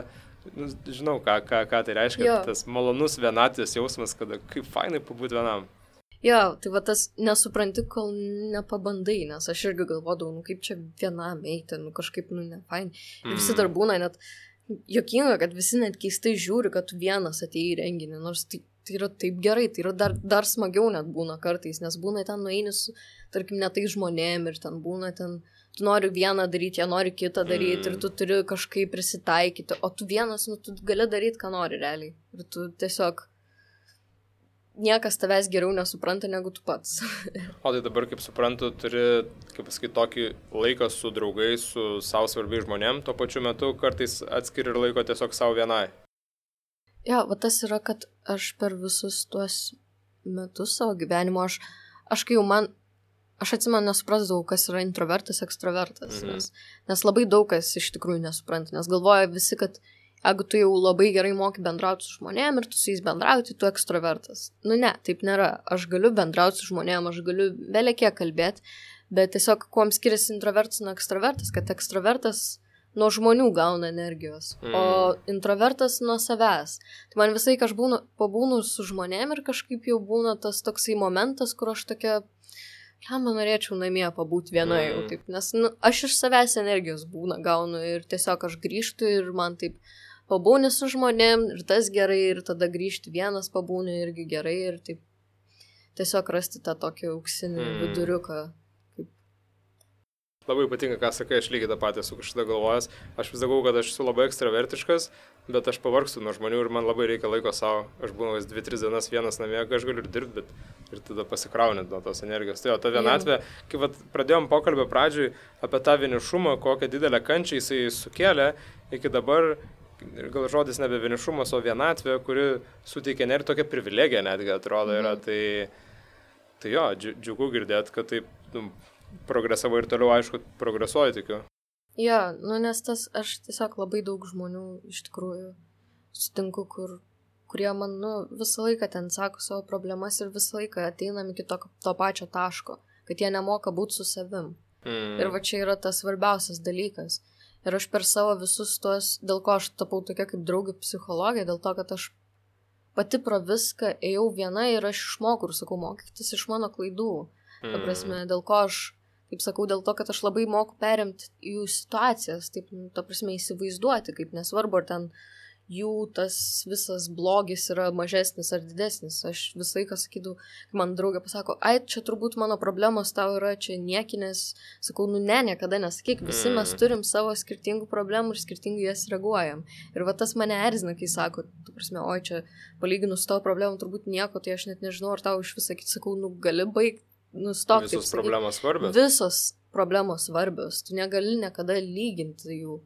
nu, žinau, ką, ką, ką tai reiškia, Jo. tas malonus vienatvės jausmas, kada kaip fainai pabūti vienam. Jo, tai va tas nesupranti, kol nepabandai, nes aš irgi galvodavau, nu kaip čia vienam eiti, nu kažkaip, nu ne fain. Ir visi dar būna net juokinga, kad visi net keistai žiūri, kad tu vienas atėjai į renginį, nors tai, tai yra taip gerai, tai yra dar, dar smagiau net būna kartais, nes būna ten nueini su, tarkim, ne tai žmonėm ir ten būna ten, tu nori vieną daryti, jie nori kitą daryti Mm. ir tu turi kažkaip prisitaikyti, o tu vienas, nu tu gali daryti, ką nori realiai. Ir tu tiesiog niekas tavęs geriau nesupranta negu tu pats. O tai dabar, kaip suprantu, turi, kaip pasakyti, tokį laiką su draugais, su savo svarbiais žmonėm, tuo pačiu metu kartais atskiri ir laiko tiesiog savo vienai. Jo, va tas yra, kad aš per visus tuos metus savo gyvenimo, aš, aš kai jau man, aš atsimenu, nesuprasdavau, kas yra introvertas, ekstravertas, Mhm. nes, nes labai daug kas iš tikrųjų nesupranta, nes galvoja visi, kad jeigu tu jau labai gerai moki bendrauti su žmonėm ir tu su jais bendrauti, tu ekstravertas. Nu ne, taip nėra. Aš galiu bendrauti su žmonėm, aš galiu belekiek kalbėti, bet tiesiog kuom skiriasi introvertas nuo ekstravertas, kad ekstravertas nuo žmonių gauna energijos, Mm. o introvertas nuo savęs. Tai man visai, kai aš būnu, pabūnu su žmonėm ir kažkaip jau būna tas toksai momentas, kur aš tokia, ką man norėčiau namie pabūti viena jau Mm. taip, nes nu, aš iš savęs energijos būna gaunu ir tiesiog aš grįžtu ir man taip pabūni su žmonėm ir tas gerai ir tada grįžti vienas pabūni irgi gerai ir taip tiesiog rasti tą tokį auksinį Mm. viduriuką. Labai patinka, ką sakai, aš lygiai tą patį esu kažkada galvojęs. Aš vis sakau, kad aš esu labai ekstravertiškas, bet aš pavargstu nuo žmonių ir man labai reikia laiko savo. Aš būnu vis dvi tris dienas vienas namie, kai aš galiu ir dirbti, bet ir tada pasikrauni nuo tos energijos. Tai jo, ta vienatvė, kai vat, pradėjom pokalbio pradžioj apie tą vienišumą, kokią didelę kančią jisai sukėlė, iki dabar, gal žodis nebe vienišumas, o vienatvė, kuri suteikia net tokią privilegiją netgi atrodo yra. Mhm. Tai, tai jo, dži- džiugu girdėti, kad taip nu, progresavo ir toliau, aišku, progresuoju, tikiu. Jo, nu nes tas aš tiesiog labai daug žmonių iš tikrųjų sutinku, kur, kurie man nu, visą laiką ten sako savo problemas ir visą laiką ateinam iki to, to pačio taško, kad jie nemoka būti su savim. Mm. Ir va čia yra tas svarbiausias dalykas. Ir aš per savo visus tuos, dėl ko aš tapau tokia kaip draugė psichologė, dėl to, kad aš pati pro viską ėjau viena ir aš išmokau ir sakau, mokytis iš mano klaidų. Ta prasme, dėl ko aš, kaip sakau, dėl to, kad aš labai moku perimti jų situacijas, taip, nu, ta prasme, įsivaizduoti, kaip nesvarbu, ar ten jų tas visas blogis yra mažesnis ar didesnis. Aš visą laiką sakydavau, kai man draugė pasako, ai, čia turbūt mano problemos tau yra čia niekinės. Sakau, nu ne, niekada nesakyk, visi mes turim savo skirtingų problemų ir skirtingai jas reaguojam. Ir va tas mane erzina, kai sako, tu prasme, oi, čia palyginus tavo problemų turbūt nieko, tai aš net nežinau, ar tau iš vis sakyti, sakau, nu gali baigti, nustok. Visos problemos svarbios. Visos problemos svarbios, tu negali niekada lyginti jų.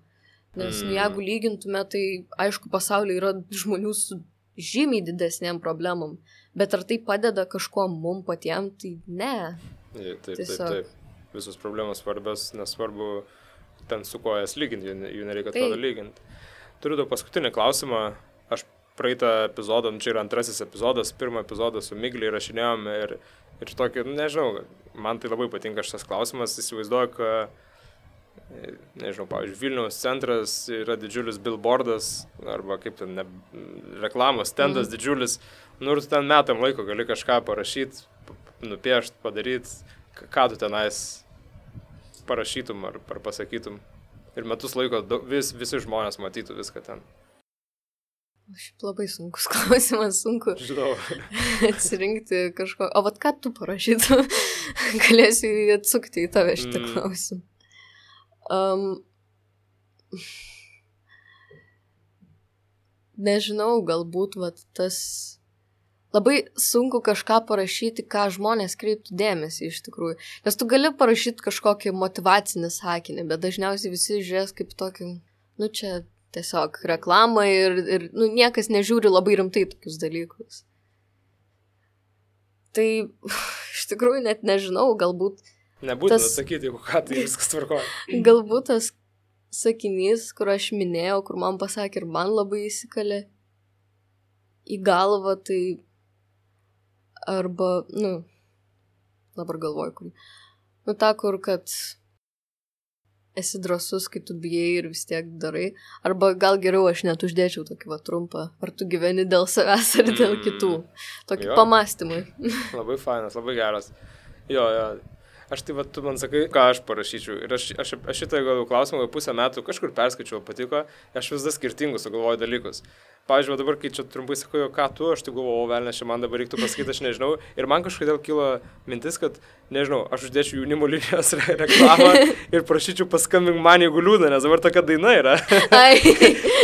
Nes mm. nu, jeigu lygintume, tai aišku, pasaulyje yra žmonių su žymiai didesnėm problemom, bet ar tai padeda kažkuo mum patiem, tai ne. Taip, taip, Tiesiog. taip. visos problemos svarbios, nesvarbu ten su ko jas lyginti, jų, jų nereikia atrodo lyginti. Turiu daug paskutinį klausimą. Aš praeitą epizodą, čia yra antrasis epizodas, pirmą epizodą su Miglė įrašinėjom ir, ir tokį, nežinau, man tai labai patinka šitas klausimas, įsivaizduoju, kad, nežinau, pavyzdžiui, Vilniaus centras yra didžiulis billboardas, arba kaip ten, ne, reklamos stendas mm. didžiulis, nu ir tu ten metam laiko gali kažką parašyti, nupiešti, padaryti, ką tu tenais parašytum ar, ar pasakytum. Ir metus laiko vis, visi žmonės matytų viską ten. Šiaip labai sunkus klausimas, sunku Žinau. atsirinkti kažko. O vat ką tu parašytum, galėsiu atsukti į tave šitą mm. klausimą. Um, nežinau, galbūt vat tas labai sunku kažką parašyti, ką žmonės kreiptų dėmesį iš tikrųjų. Nes tu gali parašyti kažkokį motyvacinį sakinį, bet dažniausiai visi žiūrės kaip tokį, nu čia tiesiog reklamą ir, ir nu, niekas nežiūri labai rimtai tokius dalykus. Tai iš tikrųjų net nežinau, galbūt Nebūtina tas, sakyti, jeigu ką, tai viskas tvarkoja. Galbūt tas sakinys, kur aš minėjau, kur man pasakė ir man labai įsikalė į galvą, tai arba, nu, dabar galvoju, kur, nu, ta, kur, kad esi drąsus, kai tu bijai ir vis tiek darai, arba gal geriau aš net uždėčiau tokį va trumpą, ar tu gyveni dėl savęs ar dėl kitų, tokį jo. Pamastymui. Labai fainas, labai geras. Jo, jo. Aš tai, va, tu man sakai, ką aš parašyčiau. Ir aš, aš, aš šitą gal klausimą jau pusę metų kažkur perskaičiau, patiko, aš vis dar skirtingus sugalvoju dalykus. Pavyzdžiui, dabar, kai čia trumpai sakau, ką tu, aš tai galvoju, o velnės, čia man dabar reiktų pasakyti, aš nežinau. Ir man kažkodėl kilo mintis, kad, nežinau, aš uždėčiau jaunimo linijos re reklamą ir prašyčiau paskambink man, jeigu liūdna, nes dabar tokia daina yra.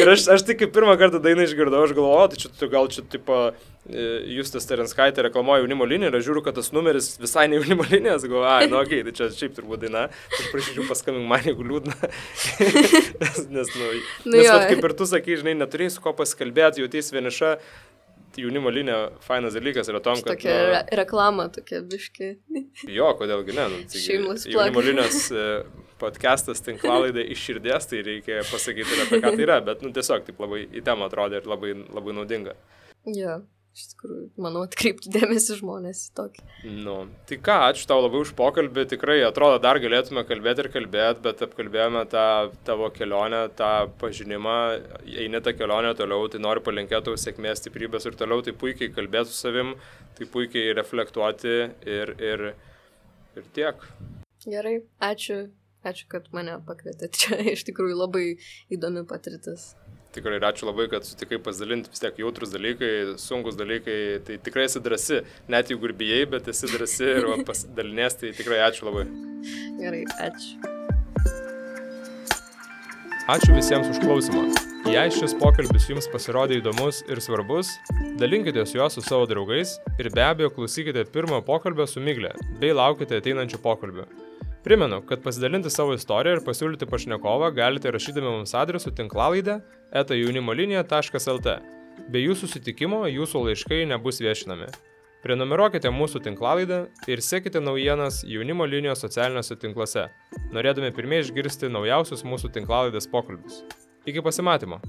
Ir aš, aš tai kaip pirmą kartą dainą išgirdau, aš galvoju, tai čia gal čia, tipo, Justas Terenskaitė reklamuoja jaunimo liniją ir aš žiūriu, kad tas numeris visai ne jaunimo linijas, galvoju, ai, nu okei, okay, tai čia šiaip turbūt daina, aš prašyčiau paskambink man, jeigu liūdna. nes, nes, nu, nu nes vat, kaip ir tu sakai, žinai, neturėjai su ko pasikalbėti, jautys vieniša, jaunimo linija fainas dalykas yra tom, kad... Tokia nu, re reklama, tokia biški. Jo, kodėlgi ne, nu, tai jaunimo linijos podcastas tinklalaidė iš širdies, tai reikia pasakyti ir apie ką tai yra, bet nu, tiesiog taip labai į temą atrodė ir labai, labai naudinga. Jo. Iš tikrųjų, manau, atkreipti dėmesį žmonės į tokį. Nu, tai ką, ačiū tau labai už pokalbį, tikrai atrodo dar galėtume kalbėti ir kalbėti, bet apkalbėjome tą tavo kelionę, tą pažinimą, eini tą kelionę toliau, tai noriu palinkėti tau sėkmės, stiprybės ir toliau, tai puikiai kalbėti su savim, tai puikiai reflektuoti ir, ir, ir tiek. Gerai, ačiū, ačiū, kad mane pakvietėte, čia iš tikrųjų labai įdomi patirtis. Tikrai ačiū labai, kad sutikai pasidalinti, vis tiek jautrus dalykai, sunkus dalykai, tai tikrai esi drąsi, net jeigu ir bijai, bet esi drąsi ir pasidalinės, tai tikrai ačiū labai. Gerai, ačiū. Ačiū visiems už klausimą. Jei šis pokalbis jums pasirodė įdomus ir svarbus, dalinkitės juos su savo draugais ir be abejo klausykite pirmojo pokalbio su Migle, bei laukite ateinančių pokalbių. Primenu, kad pasidalinti savo istoriją ir pasiūlyti pašnekovą galite rašydami mums adresu tinklalaidė eta jaunimolinija taškas lt. Be jūsų susitikimo jūsų laiškai nebus viešinami. Prenumeruokite mūsų tinklalaidę ir sekite naujienas Jaunimo linijos socialiniuose tinkluose, norėdami pirmieji išgirsti naujausius mūsų tinklalaidės pokalbius. Iki pasimatymo!